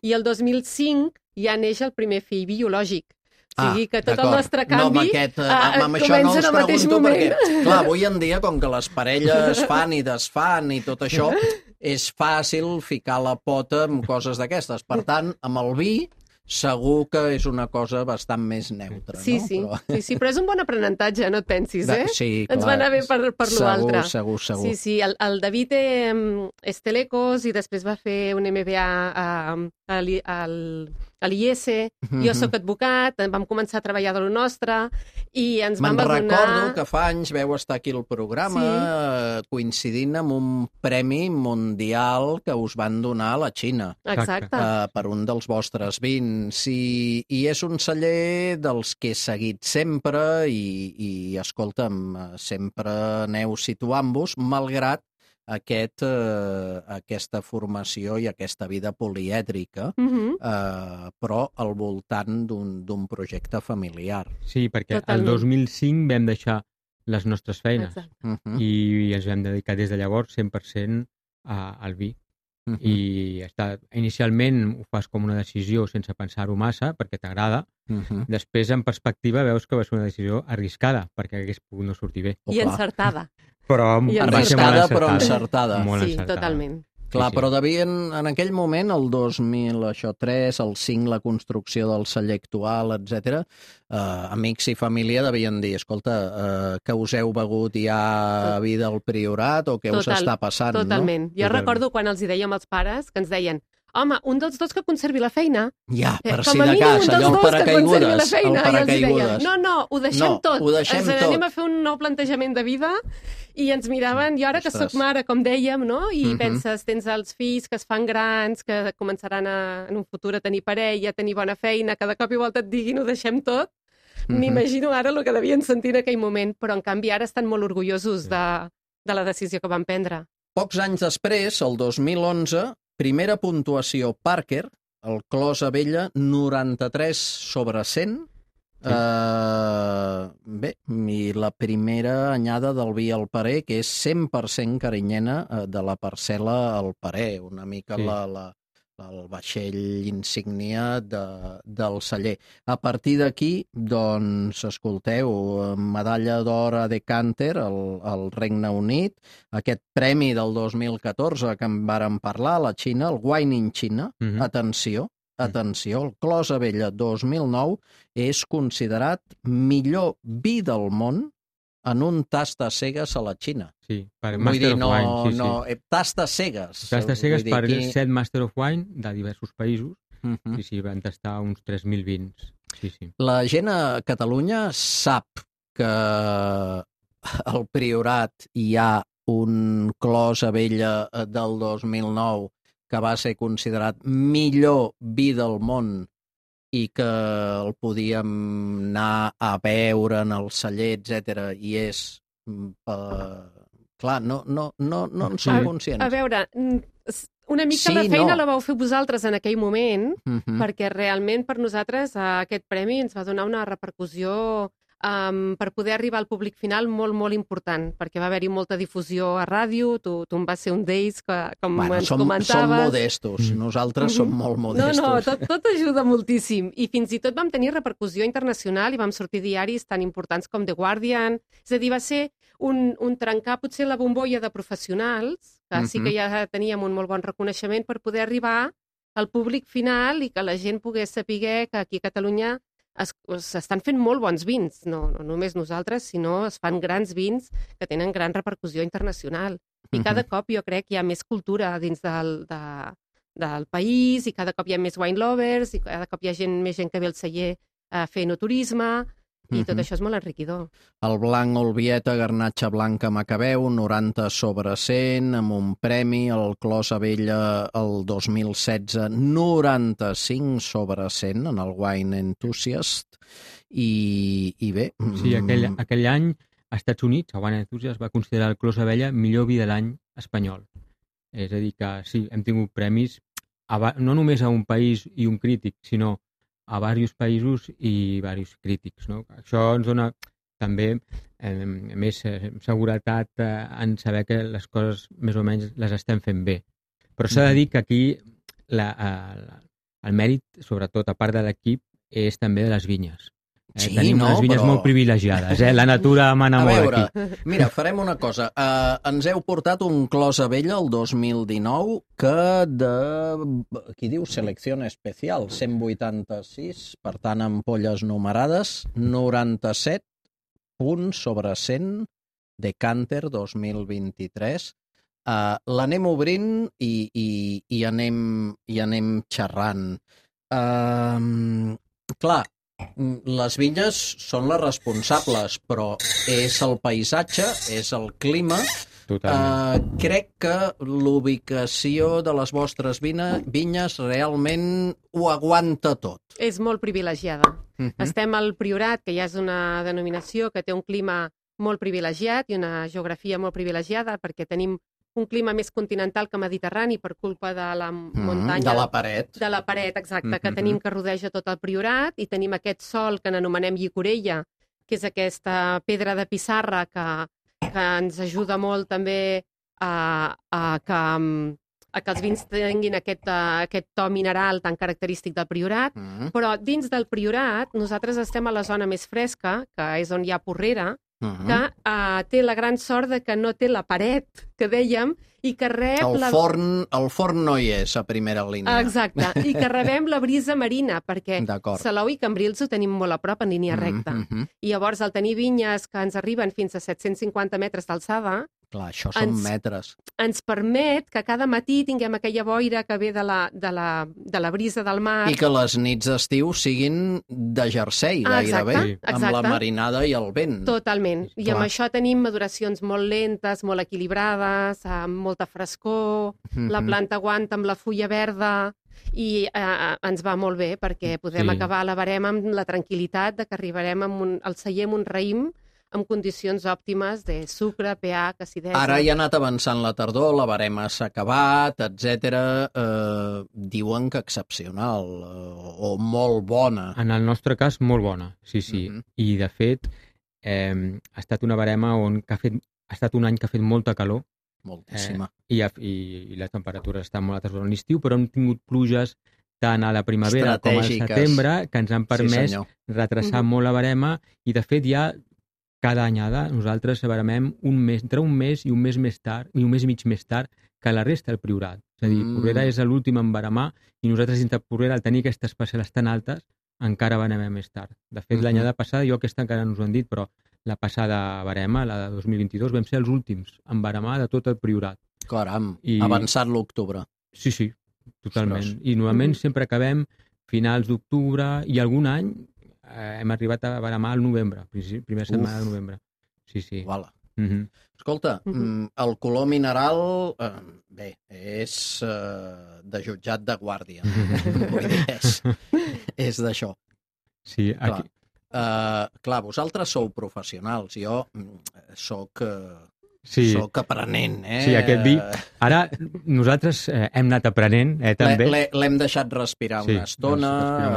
i el 2005 ja neix el primer fill biològic. O sigui que tot el nostre canvi comença en el mateix moment. Perquè, clar, avui en dia, com que les parelles fan i desfan i tot això, és fàcil ficar la pota en coses d'aquestes. Per tant, amb el vi segur que és una cosa bastant més neutra. Sí, però és un bon aprenentatge, no et pensis, Sí, clar. Ens va anar bé per l'altre. Segur. Sí, el David és telecos i després va fer un MBA a l'IES, jo sóc advocat, vam començar a treballar de lo nostre i ens vam adonar... Me'n recordo que fa anys veu estar aquí al programa coincidint amb un premi mundial que us van donar a la Xina. Exacte. Per un dels vostres vins. I és un celler dels que he seguit sempre i escolta'm, sempre aneu situant-vos, malgrat aquesta formació i aquesta vida polièdrica, però al voltant d'un projecte familiar. Sí, perquè el 2005 vam deixar les nostres feines i ens vam dedicar des de llavors 100% al vi. I inicialment ho fas com una decisió sense pensar-ho massa, perquè t'agrada. Després, en perspectiva, veus que va ser una decisió arriscada, perquè hagués pogut no sortir bé. I encertada. Arriscada, però encertada. Sí, totalment. Clar, però devien, en aquell moment, el 2003, el 5, la construcció del celler actual, etc. Amics i família devien dir, escolta, que us heu begut ja vi del Priorat o què us està passant? Totalment. Jo recordo quan els hi dèiem als pares, que ens deien, home, un dels dos que conservi la feina. Ja, per si de cas, allò el paracaigudes. No, ho deixem tot. Anem a fer un nou plantejament de vida i ens miraven, jo ara que sóc mare, com dèiem, no? I penses, tens els fills que es fan grans, que començaran en un futur a tenir parella, a tenir bona feina, que de cop i volta et diguin ho deixem tot. M'imagino ara el que devien sentir en aquell moment, però en canvi ara estan molt orgullosos de la decisió que van prendre. Pocs anys després, el 2011, primera puntuació Parker, el Clos Abella, 93/100. Bé, i la primera anyada del vi al parer, que és 100% carinyena de la parcel·la al parer, una mica el vaixell insígnia del celler. A partir d'aquí, doncs, escolteu, medalla d'or a Decanter al Regne Unit, aquest premi del 2014 que en vàrem parlar a la Xina, el Wine in China, atenció, el Clos Abella 2009 és considerat millor vi del món en un tasta cegues a la Xina. Sí, per Master of Wine. No, tasta cegues. Tasta cegues per 7 Master of Wine de diversos països. Sí, van tastar uns 3.000 vins. Sí. La gent a Catalunya sap que al Priorat hi ha un Clos Abella del 2009 que va ser considerat millor vi del món i que el podíem anar a veure en el celler, etc. I és... clar, no en som conscients. A veure, una mica la feina la vau fer vosaltres en aquell moment, perquè realment per nosaltres aquest premi ens va donar una repercussió per poder arribar al públic final molt, molt important, perquè va haver-hi molta difusió a ràdio, tu en vas ser un d'ells, com ens comentaves. Som modestos, nosaltres som molt modestos. No, tot ajuda moltíssim, i fins i tot vam tenir repercussió internacional i vam sortir diaris tan importants com The Guardian, és a dir, va ser un trencar potser la bombolla de professionals, que sí que ja teníem un molt bon reconeixement per poder arribar al públic final i que la gent pogués saber que aquí a Catalunya s'estan fent molt bons vins, no només nosaltres, sinó es fan grans vins que tenen gran repercussió internacional. I cada cop jo crec que hi ha més cultura dins del país i cada cop hi ha més wine lovers i cada cop hi ha més gent que ve al celler a fer enoturisme I tot això és molt enriquidor. El blanc Olvieta, garnatxa blanca Macabeu, 90 sobre 100, amb un premi. El Clos Abella, el 2016, 95 sobre 100 en el Wine Enthusiast. I bé... Sí, aquell any, als Estats Units, el Wine Enthusiast va considerar el Clos Abella millor vi de l'any espanyol. És a dir que sí, hem tingut premis no només a un país i un crític, sinó a diversos països i diversos crítics. No? Això ens dona també més seguretat en saber que les coses més o menys les estem fent bé. Però s'ha de dir que aquí el mèrit, sobretot a part de l'equip, és també de les vinyes. Sí, tenim unes vinyes molt privilegiades. La natura mana molt aquí. Mira, farem una cosa. Ens heu portat un Clos Abella el 2019 que aquí diu selecció especial, 186, per tant, ampolles numerades, 97 punts sobre 100, Decanter 2023. L'anem obrint i anem xerrant. Clar, les vinyes són les responsables, però és el paisatge, és el clima. Crec que l'ubicació de les vostres vinyes realment ho aguanta tot. És molt privilegiada. Estem al Priorat, que ja és una denominació que té un clima molt privilegiat i una geografia molt privilegiada, perquè tenim un clima més continental que mediterrani per culpa de la muntanya... De la paret. De la paret, exacte, que tenim que rodeja tot el Priorat, i tenim aquest sòl que n'anomenem llicorella, que és aquesta pedra de pissarra que ens ajuda molt també a que els vins tinguin aquest to mineral tan característic del Priorat. Però dins del Priorat nosaltres estem a la zona més fresca, que és on hi ha Porrera, que té la gran sort de que no té la paret, que dèiem, i que rep... El forn no hi és a primera línia. Exacte, i que rebem la brisa marina, perquè Salou i Cambrils ho tenim molt a prop en línia recta. I llavors, al tenir vinyes que ens arriben fins a 750 metres d'alçada... Clar, això són metres. Ens permet que cada matí tinguem aquella boira que ve de la brisa del mar. I que les nits d'estiu siguin de jersei, gairebé, amb la marinada i el vent. Totalment. I amb això tenim maduracions molt lentes, molt equilibrades, amb molta frescor, la planta aguanta amb la fulla verda, i ens va molt bé perquè podem acabar la barema amb la tranquil·litat de que arribarem al celler amb un raïm amb condicions òptimes de sucre, pH, acidesa... Ara ja ha anat avançant la tardor, la barema s'ha acabat, etc. Diuen que excepcional, o molt bona. En el nostre cas, molt bona, sí. I, de fet, ha estat una barema ha estat un any que ha fet molta calor. Moltíssima. I la temperatura està molt alta durant l'estiu, però hem tingut pluges tant a la primavera com al setembre que ens han permès retrasar molt la barema, i, de fet, ja cada anyada nosaltres baremem entre un mes i un mes més tard, i un mes i mig més tard que la resta del Priorat. És a dir, Porrera és l'últim en baremar, i nosaltres dintre Porrera, al tenir aquestes parcel·les tan altes, encara baremem més tard. De fet, l'anyada passada, jo aquesta encara no us ho han dit, però la passada barema, la de 2022, vam ser els últims en baremar de tot el Priorat. Caram, avançat l'octubre. Sí, totalment. I normalment sempre acabem finals d'octubre, i algun any hem arribat a baremar al novembre, primera setmana de novembre. Sí. Uala. Escolta, el color mineral, bé, és de jutjat de guàrdia. Vull dir, és d'això. Sí, aquí... Clar, vosaltres sou professionals, jo soc aprenent, Sí, aquest vi... Ara nosaltres hem anat aprenent, també. L'hem deixat respirar una estona,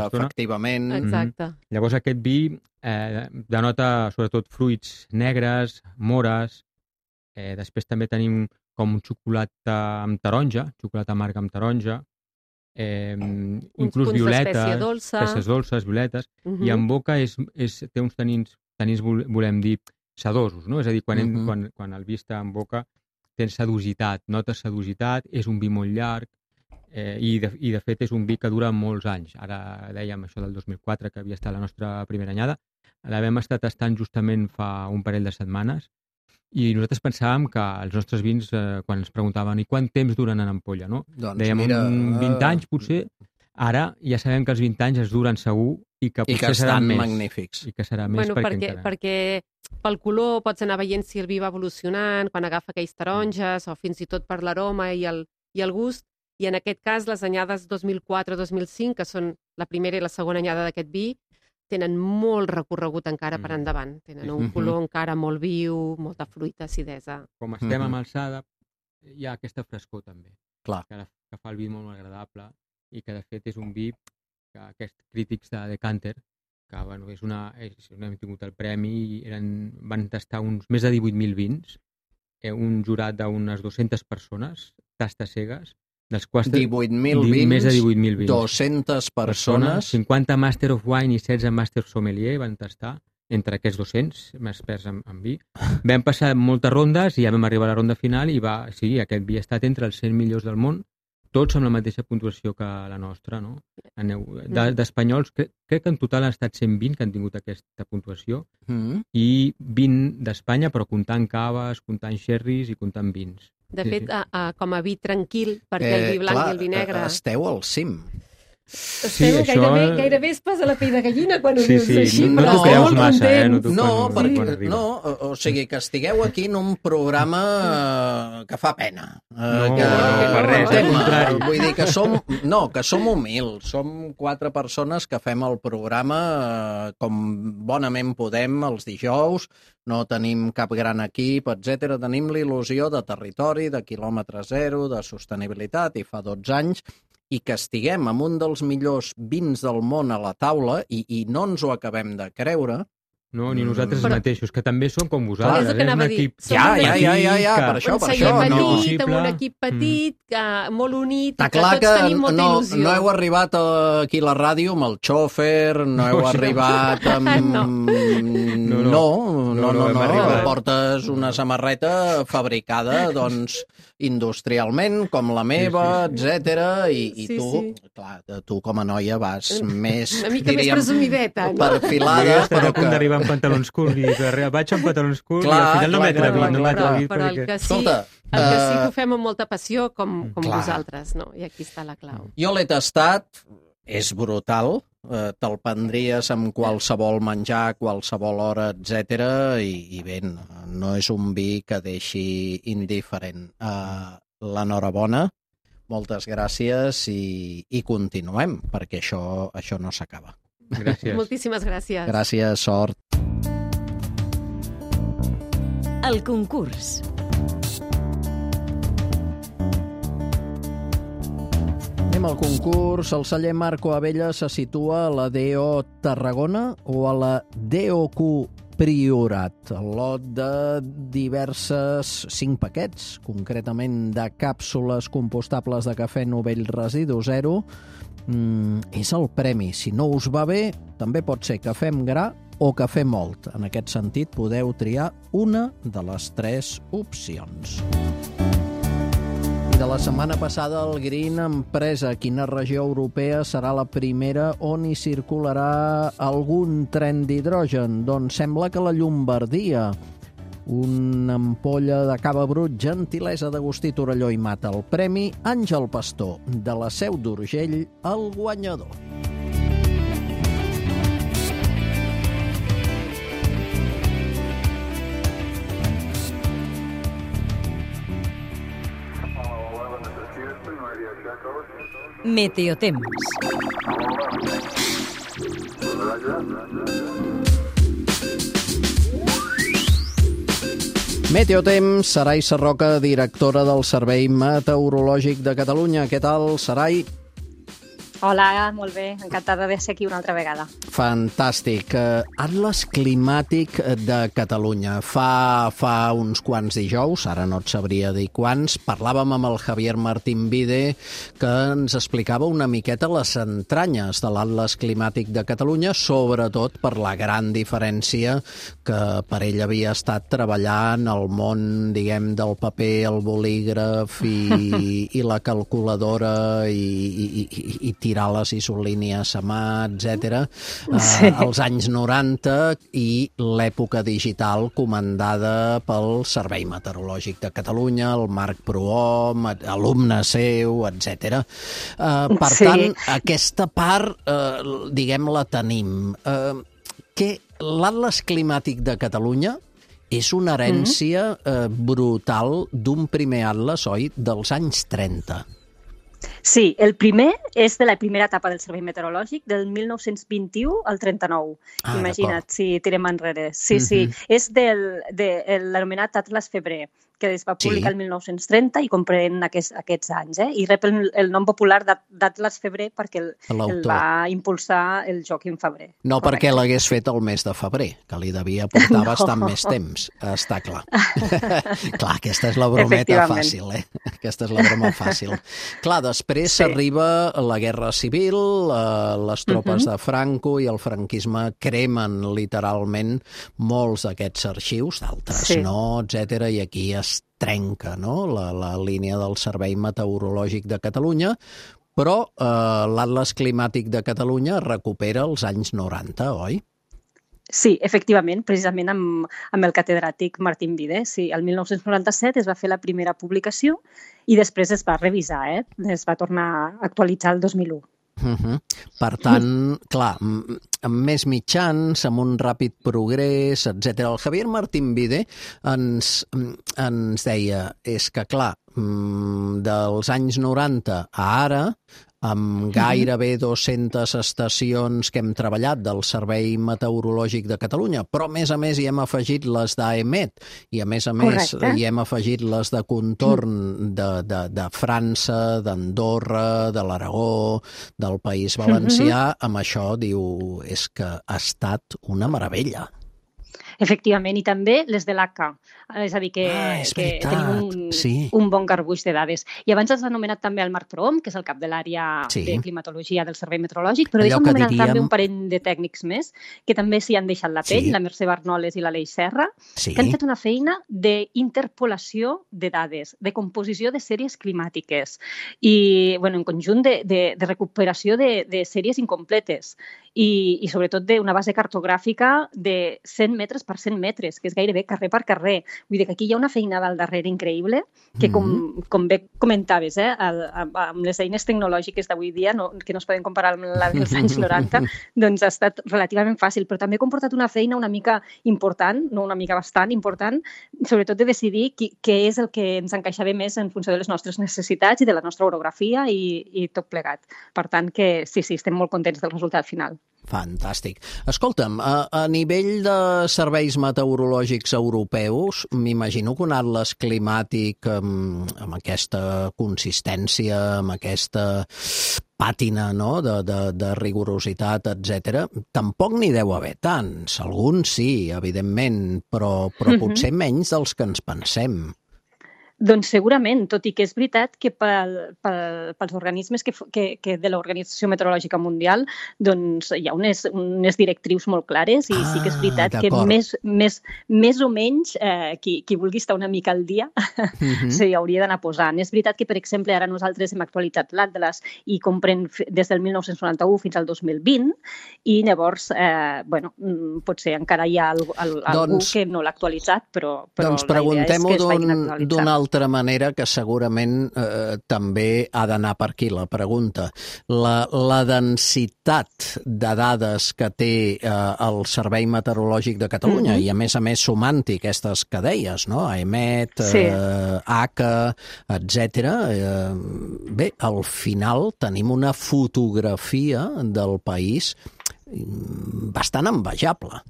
efectivament. Exacte. Llavors aquest vi denota sobretot fruits negres, mores. Després també tenim com xocolata amb taronja, xocolata amarga amb taronja. Inclús violetes, peces dolces, violetes. I en boca té uns tanins, volem dir, sedosos, no? És a dir, quan el vi està en boca tens sedositat, notes sedositat, és un vi molt llarg, i de fet és un vi que dura molts anys. Ara dèiem això del 2004, que havia estat la nostra primera anyada, l'havem estat tastant justament fa un parell de setmanes, i nosaltres pensàvem que els nostres vins, quan ens preguntaven i quant temps duren en ampolla, no? Dèiem 20 anys potser, Ara ja sabem que els 20 anys es duren segur i que potser seran més. magnífics. I que serà més perquè pel color pots anar veient si el vi va evolucionant, quan agafa aquells taronges, o fins i tot per l'aroma i el gust. I en aquest cas, les anyades 2004-2005, que són la primera i la segona anyada d'aquest vi, tenen molt recorregut encara per endavant. Tenen un color encara molt viu, molta fruita, acidesa. Com estem amb alçada, hi ha aquesta frescor també. Clar. Que fa el vi molt agradable i que de fet és un vi que aquests crítics de Decanter, que bueno, hem tingut el premi i van tastar més de 18.000 vins, un jurat d'unes 200 persones, tastes cegues, dels quals 18.000 vins, més de 18.000 vins, 200 persones, 50 Master of Wine i 16 Master Sommelier van tastar, entre aquests 200 experts en vi. Vam passar moltes rondes i ja vam arribar a la ronda final i aquest vi ha estat entre els 100 millors del món, tots amb la mateixa puntuació que la nostra, no? D'espanyols, crec que en total han estat 120 que han tingut aquesta puntuació i 20 d'Espanya, però comptant caves, comptant xerris i comptant vins. De fet, com a vi tranquil, perquè el vi blanc i el vi negre... Esteu al cim. Gairebé es posa la pell de gallina quan ho dius així, però no, creus massa, o sigui, que estigueu aquí en un programa que fa pena. Vull dir que som humils, som 4 persones que fem el programa com bonament podem els dijous, no tenim cap gran equip, etc. Tenim l'il·lusió de territori, de quilòmetre zero, de sostenibilitat, i fa 12 anys, i que estiguem amb un dels millors vins del món a la taula i no ens ho acabem de creure. No, ni nosaltres mateixos, que també som com vosaltres. És el que anava a dir. Per això. Amb un equip petit, molt unit, que tots tenim molta il·lusió. No heu arribat aquí a la ràdio amb el xòfer, no heu arribat amb... No. Portes una samarreta fabricada, doncs, industrialment, com la meva, etc. I tu com a noia vas més... Una mica més presumideta, no? Perfilada, però que... d'arribar amb pantalons curts i vaig amb pantalons curts i al final no m'he atrevit. Però el que sí que ho fem amb molta passió, com vosaltres, no? I aquí està la clau. Jo l'he tastat, és brutal, te'l prendries amb qualsevol menjar, qualsevol hora, etc. I bé, no és un vi que deixi indiferent. L'enhorabona, moltes gràcies i continuem, perquè això no s'acaba. Gràcies. Moltíssimes gràcies. Gràcies, sort. El concurs. Anem al concurs. El celler Marco Abella se situa a la DO Tarragona o a la DOQ Priorat. El lot de diverses 5 paquets, concretament de càpsules compostables de cafè Novell Residu Zero, és el premi. Si no us va bé, també pot ser cafè amb gra o cafè mòlt. En aquest sentit, podeu triar una de les 3 opcions. De la setmana passada, el Green Empresa, quina regió europea serà la primera on hi circularà algun tren d'hidrogen? Doncs sembla que la Llombardia. Una ampolla de cava brut, gentilesa d'Agustí Torelló i Mata. El premi Àngel Pastor, de la Seu d'Urgell, el guanyador. Meteotemps. Meteotemps, Sarai Sarroca, directora del Servei Meteorològic de Catalunya. Què tal, Sarai? Hola, molt bé. Encantada de ser aquí una altra vegada. Fantàstic. Atles Climàtic de Catalunya. Fa uns quants dijous, ara no et sabria dir quants, parlàvem amb el Javier Martín Vide, que ens explicava una miqueta les entranyes de l'Atles Climàtic de Catalunya, sobretot per la gran diferència que per ell havia estat treballant al món, diguem, del paper, el bolígraf i la calculadora i tirar espirales isolínies a mà, etc. Sí. Als anys 90 i l'època digital comandada pel Servei Meteorològic de Catalunya, el Marc Prohom, alumne seu, etc. Per tant, aquesta part, diguem, la tenim. L'Atles Climàtic de Catalunya és una herència brutal d'un primer atles, oi?, dels anys 30. Sí, el primer és de la primera etapa del Servei Meteorològic, del 1921 al 39. Imagina't, si tirem enrere. Sí, és de l'anomenat Atles Febrer, que es va publicar el 1930 i comprèn aquests anys, i rep el nom popular d'Atles Febrer perquè el va impulsar el Joaquim Febrer. No perquè l'hagués fet el mes de febrer, que li devia portar bastant més temps, està clar. Clar, aquesta és la brometa fàcil, Aquesta és la broma fàcil. Clar, després arriba la Guerra Civil, les tropes de Franco i el franquisme cremen literalment molts d'aquests arxius, d'altres no, etc. I aquí es trenca la línia del Servei Meteorològic de Catalunya, però l'Atles Climàtic de Catalunya recupera els anys 90, oi? Sí, efectivament, precisament amb el catedràtic Martín Vide. Sí, el 1997 es va fer la primera publicació i després es va revisar, es va tornar a actualitzar el 2001. Per tant, clar, amb més mitjans, amb un ràpid progrés, etc. El Javier Martín Vide ens deia, és que clar, dels anys 90 a ara, amb gairebé 200 estacions que hem treballat del Servei Meteorològic de Catalunya, però a més hi hem afegit les d'AEMET i a més hi hem afegit les de contorn de França, d'Andorra, de l'Aragó, del País Valencià. Amb això diu, és que ha estat una meravella. Efectivament, i també les de l'ACA. És a dir, que tenim un bon garbuix de dades. I abans has anomenat també el Marc Prohom, que és el cap de l'àrea de climatologia del Servei Meteorològic, però deixa'm anomenar també un parell de tècnics més que també s'hi han deixat la pell, la Mercè Barnoles i l'Aleix Serra, que han fet una feina d'interpolació de dades, de composició de sèries climàtiques i, en conjunt de recuperació de sèries incompletes i sobretot d'una base cartogràfica de 100 metres per 100 metres, que és gairebé carrer per carrer. Vull dir que aquí hi ha una feinada al darrere increïble que, com bé comentaves, amb les eines tecnològiques d'avui dia, que no es poden comparar amb la dels anys 90, doncs ha estat relativament fàcil, però també ha comportat una feina una mica important, no una mica bastant important, sobretot de decidir què és el que ens encaixava més en funció de les nostres necessitats i de la nostra orografia i tot plegat. Per tant, que sí, estem molt contents del resultat final. Fantàstic. Escolta'm, a nivell de serveis meteorològics europeus, m'imagino que un atles climàtic amb aquesta consistència, amb aquesta pàtina de rigorositat, etc., tampoc n'hi deu haver tants. Alguns sí, evidentment, però potser menys dels que ens pensem. Doncs segurament, tot i que és veritat que pels organismes que de l'Organització Meteorològica Mundial doncs hi ha unes directrius molt clares i sí que és veritat que més o menys qui vulgui estar una mica al dia s'hi hauria d'anar posant. És veritat que, per exemple, ara nosaltres hem actualitzat l'Atles i comprèn des del 1991 fins al 2020 i llavors, potser encara hi ha algú que no l'ha actualitzat, però la idea és que es vagin actualitzant. D'una altra manera que segurament també ha d'anar per aquí la pregunta. La densitat de dades que té el Servei Meteorològic de Catalunya i a més sumant-hi aquestes que deies, no? AEMET, ACA, etc. Bé, al final tenim una fotografia del país bastant envejable.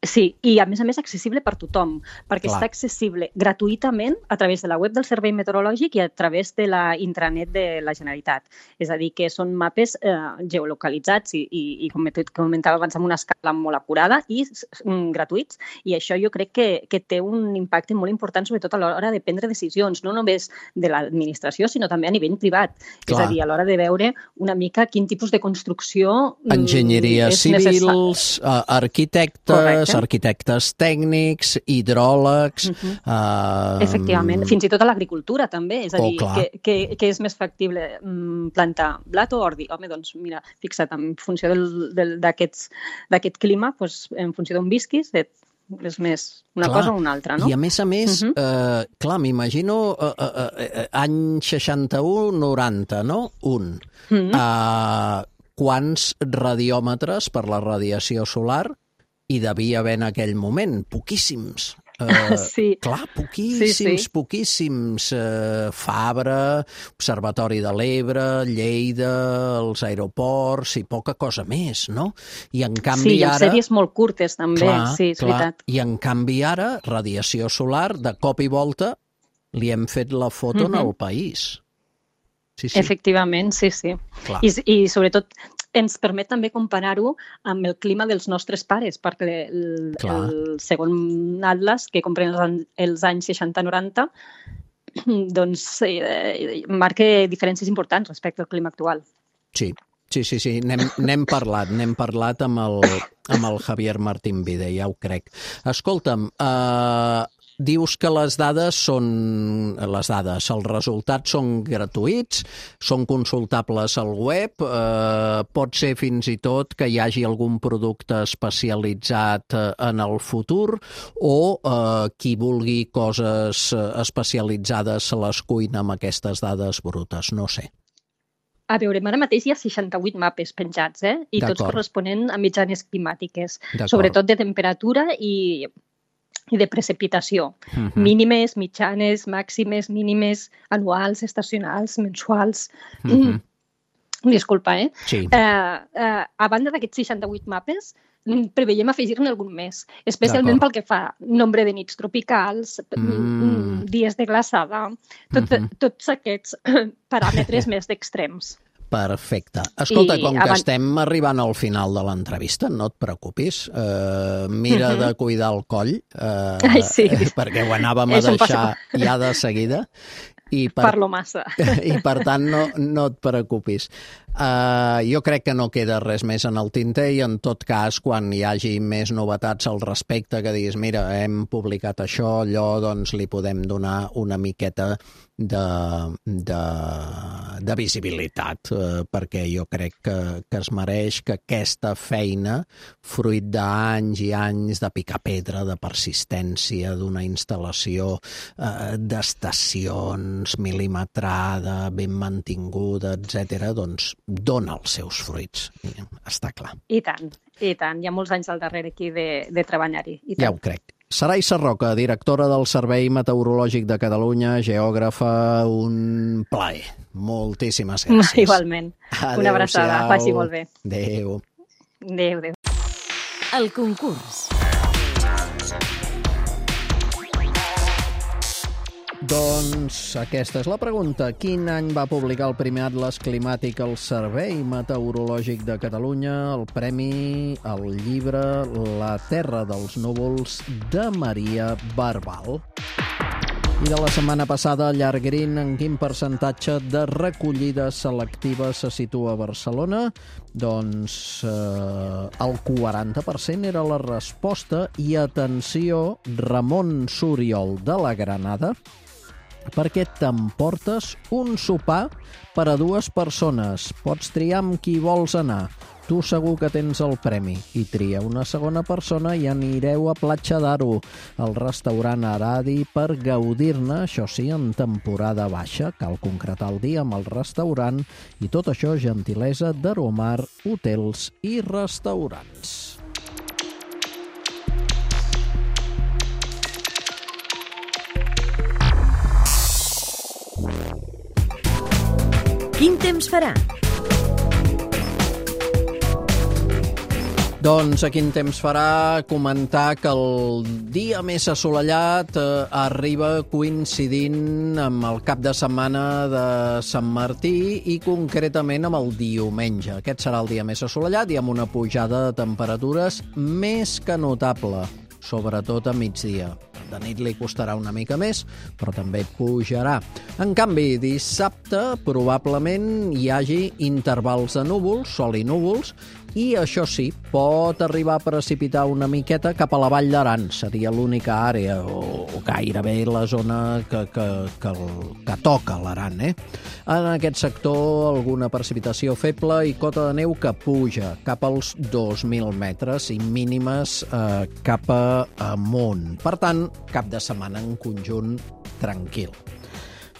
Sí, i a més accessible per tothom, perquè està accessible gratuïtament a través de la web del Servei Meteorològic i a través de la intranet de la Generalitat. És a dir, que són mapes geolocalitzats i com comentava abans, amb una escala molt acurada i gratuïts. I això jo crec que té un impacte molt important, sobretot a l'hora de prendre decisions, no només de l'administració, sinó també a nivell privat. És a dir, a l'hora de veure una mica quin tipus de construcció enginyeries civils, arquitectes, arquitectes tècnics, hidròlegs... Efectivament, fins i tot a l'agricultura també, és a dir, que és més factible plantar blat o ordi. Home, doncs mira, fixa't, en funció d'aquest clima, en funció d'on visquis, és més una cosa o una altra, no? I a més, clar, m'imagino any 61-90, no? Quants radiòmetres per la radiació solar hi devia haver en aquell moment? Poquíssims. Clar, poquíssims. Fabra, Observatori de l'Ebre, Lleida, els aeroports i poca cosa més, no? I en canvi ara... Sí, sèries molt curtes també, sí, és veritat. I en canvi ara, radiació solar, de cop i volta, li hem fet la foto en el país. Sí. Efectivament, sí. I sobretot ens permet també comparar-ho amb el clima dels nostres pares, perquè el segon atlas, que comprèn els anys 60-90, doncs marca diferències importants respecte al clima actual. Sí. N'hem parlat amb el Javier Martín Vide, ja ho crec. Escolta'm, dius que els resultats són gratuïts, són consultables al web, pot ser fins i tot que hi hagi algun producte especialitzat en el futur o qui vulgui coses especialitzades se les cuina amb aquestes dades brutes, no sé. A veure, ara mateix hi ha 68 mapes penjats, i tots corresponent a mitjanes climàtiques, sobretot de temperatura i de precipitació. Mínimes, mitjanes, màximes, mínimes, anuals, estacionals, mensuals. Disculpa, Sí. A banda d'aquests 68 mapes, preveiem afegir-ne algun més, especialment pel que fa nombre de nits tropicals, dies de glaçada, tots aquests paràmetres més d'extrems. Perfecte. Escolta, com que estem arribant al final de l'entrevista, no et preocupis, mira de cuidar el coll, perquè ho anàvem a deixar ja de seguida. Parlo massa. I per tant no et preocupis. Jo crec que no queda res més en el tinter i en tot cas quan hi hagi més novetats al respecte que diguis mira, hem publicat això, allò, doncs li podem donar una miqueta de visibilitat perquè jo crec que es mereix que aquesta feina, fruit d'anys i anys de picar pedra, de persistència, d'una instal·lació d'estacions, milimetrada, ben mantinguda, etc., doncs dona els seus fruits. Està clar. I tant. Hi ha molts anys al darrere aquí de treballar-hi. Ja ho crec. Saray Sarroca, directora del Servei Meteorològic de Catalunya, geògrafa, un plaer. Moltíssimes gràcies. Igualment. Una abraçada. Faci molt bé. Adéu. Adéu. El concurs. Doncs aquesta és la pregunta. Quin any va publicar el primer atles climàtic el Servei Meteorològic de Catalunya, el premi al llibre La Terra dels Núvols de Maria Barbal? I de la setmana passada, Llargrin, en quin percentatge de recollida selectiva se situa a Barcelona? Doncs el 40% era la resposta. I atenció, Ramon Suriol de la Granada, perquè t'emportes un sopar per a 2 persones. Pots triar amb qui vols anar. Tu segur que tens el premi. I tria una segona persona i anireu a Platja d'Aro, al restaurant Aradi, per gaudir-ne, això sí, en temporada baixa. Cal concretar el dia amb el restaurant i tot això gentilesa d'Aromar Hotels i Restaurants. Quin temps farà? Doncs a quin temps farà comentar que el dia més assolellat arriba coincidint amb el cap de setmana de Sant Martí i concretament amb el diumenge. Aquest serà el dia més assolellat i amb una pujada de temperatures més que notable, sobretot a migdia. De nit li costarà una mica més, però també pujarà. En canvi, dissabte probablement hi hagi intervals de núvols, sol i núvols, I això sí, pot arribar a precipitar una miqueta cap a la Vall d'Aran. Seria l'única àrea, o gairebé la zona que toca l'Aran. En aquest sector, alguna precipitació feble i cota de neu que puja cap als 2.000 metres i mínimes cap amunt. Per tant, cap de setmana en conjunt tranquil.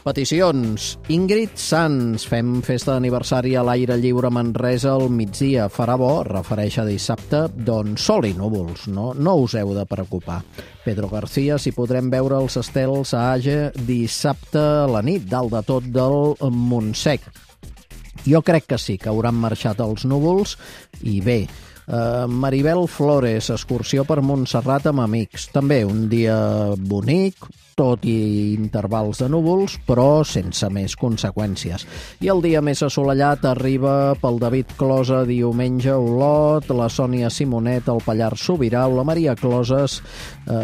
Peticions. Ingrid Sanz, fem festa d'aniversari a l'aire lliure a Manresa al migdia. Farà bo, refereix a dissabte, doncs sol i núvols, no us heu de preocupar. Pedro García, si podrem veure els estels a Age dissabte a la nit, dalt de tot del Montsec. Jo crec que sí, que hauran marxat els núvols i bé. Maribel Flores, excursió per Montserrat amb amics. També un dia bonic, tot i intervals de núvols, però sense més conseqüències. I el dia més assolellat arriba pel David Closa diumenge a Olot, la Sònia Simonet al Pallars Sobirà o la Maria Closes,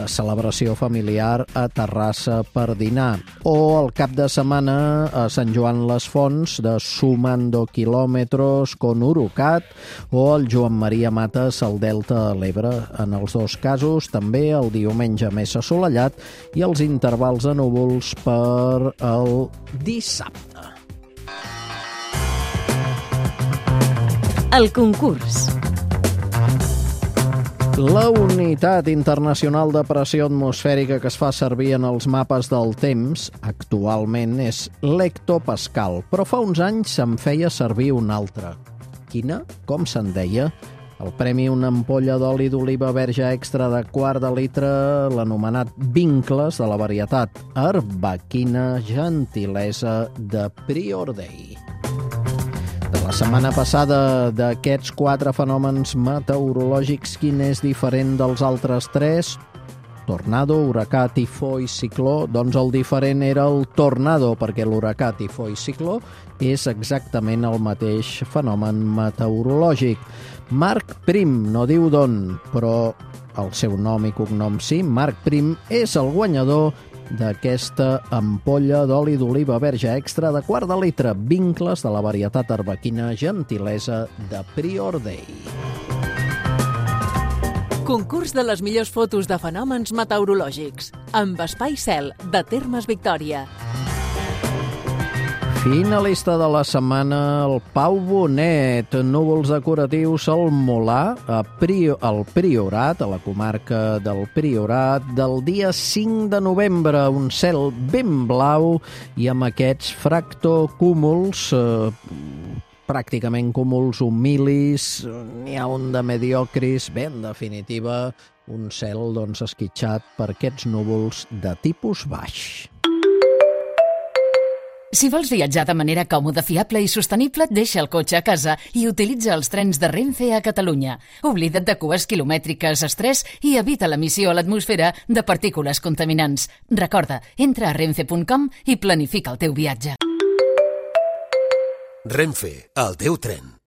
celebració familiar a Terrassa per dinar. O el cap de setmana a Sant Joan les Fonts de Sumando Kilómetros con Urucat o el Joan Maria Mates al Delta de l'Ebre. En els dos casos també el diumenge més assolellat i els intervals de núvols per el dissabte. El concurs. La unitat internacional de pressió atmosfèrica que es fa servir en els mapes del temps actualment és l'hectopascal, però fa uns anys se'n feia servir una altra. Quina? Com se'n deia? El premi una ampolla d'oli d'oliva verge extra de quart de litre, l'anomenat Vincles, de la varietat Arbequina, gentilesa de Prior Day. De la setmana passada, d'aquests 4 fenòmens meteorològics, quin és diferent dels altres 3? Tornado, huracà, tifó i cicló. Doncs el diferent era el tornado, perquè l'huracà, tifó i cicló és exactament el mateix fenomen meteorològic. Marc Prim, no diu d'on, però el seu nom i cognom sí, Marc Prim és el guanyador d'aquesta ampolla d'oli d'oliva verge extra de quart de litre, Vincles, de la varietat arbequina, gentilesa de Prior Day. Concurs de les millors fotos de fenòmens meteorològics amb Espai Cel, de Termes Victòria. Finalista de la setmana, el Pau Bonet. Núvols decoratius al Molar, al Priorat, a la comarca del Priorat, del dia 5 de novembre. Un cel ben blau i amb aquests fractocúmuls, pràcticament cúmuls humilis, n'hi ha un de mediocris. Bé, en definitiva, un cel esquitxat per aquests núvols de tipus baix. Si vols viatjar de manera còmoda, fiable i sostenible, deixa el cotxe a casa i utilitza els trens de Renfe a Catalunya. Oblida't de cues quilomètriques, estrès i evita l'emissió a l'atmosfera de partícules contaminants. Recorda, entra a renfe.com i planifica el teu viatge. Renfe, el teu tren.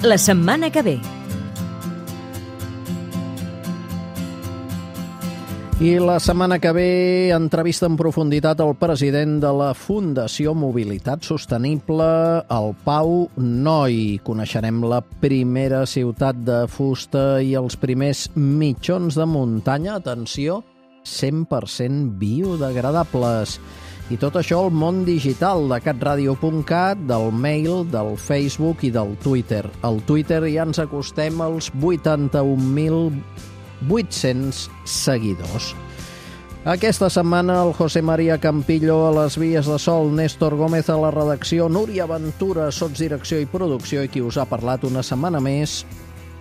La setmana que ve. I la setmana que ve entrevista en profunditat al president de la Fundació Mobilitat Sostenible, el Pau Noi. Coneixerem la primera ciutat de fusta i els primers mitjons de muntanya, atenció, 100% biodegradables. I tot això al món digital de catradio.cat, del mail, del Facebook i del Twitter. Al Twitter ja ens acostem als 81.800 seguidors. Aquesta setmana el José María Campillo a les vies de sol, Néstor Gómez a la redacció, Núria Ventura, sotsdirecció i producció, i qui us ha parlat una setmana més,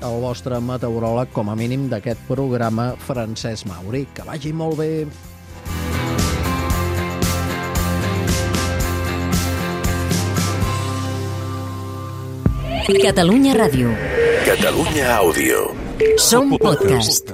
el vostre meteoròleg, com a mínim, d'aquest programa, Francesc Mauri. Que vagi molt bé. Catalunya Ràdio. Catalunya Àudio. Som podcast.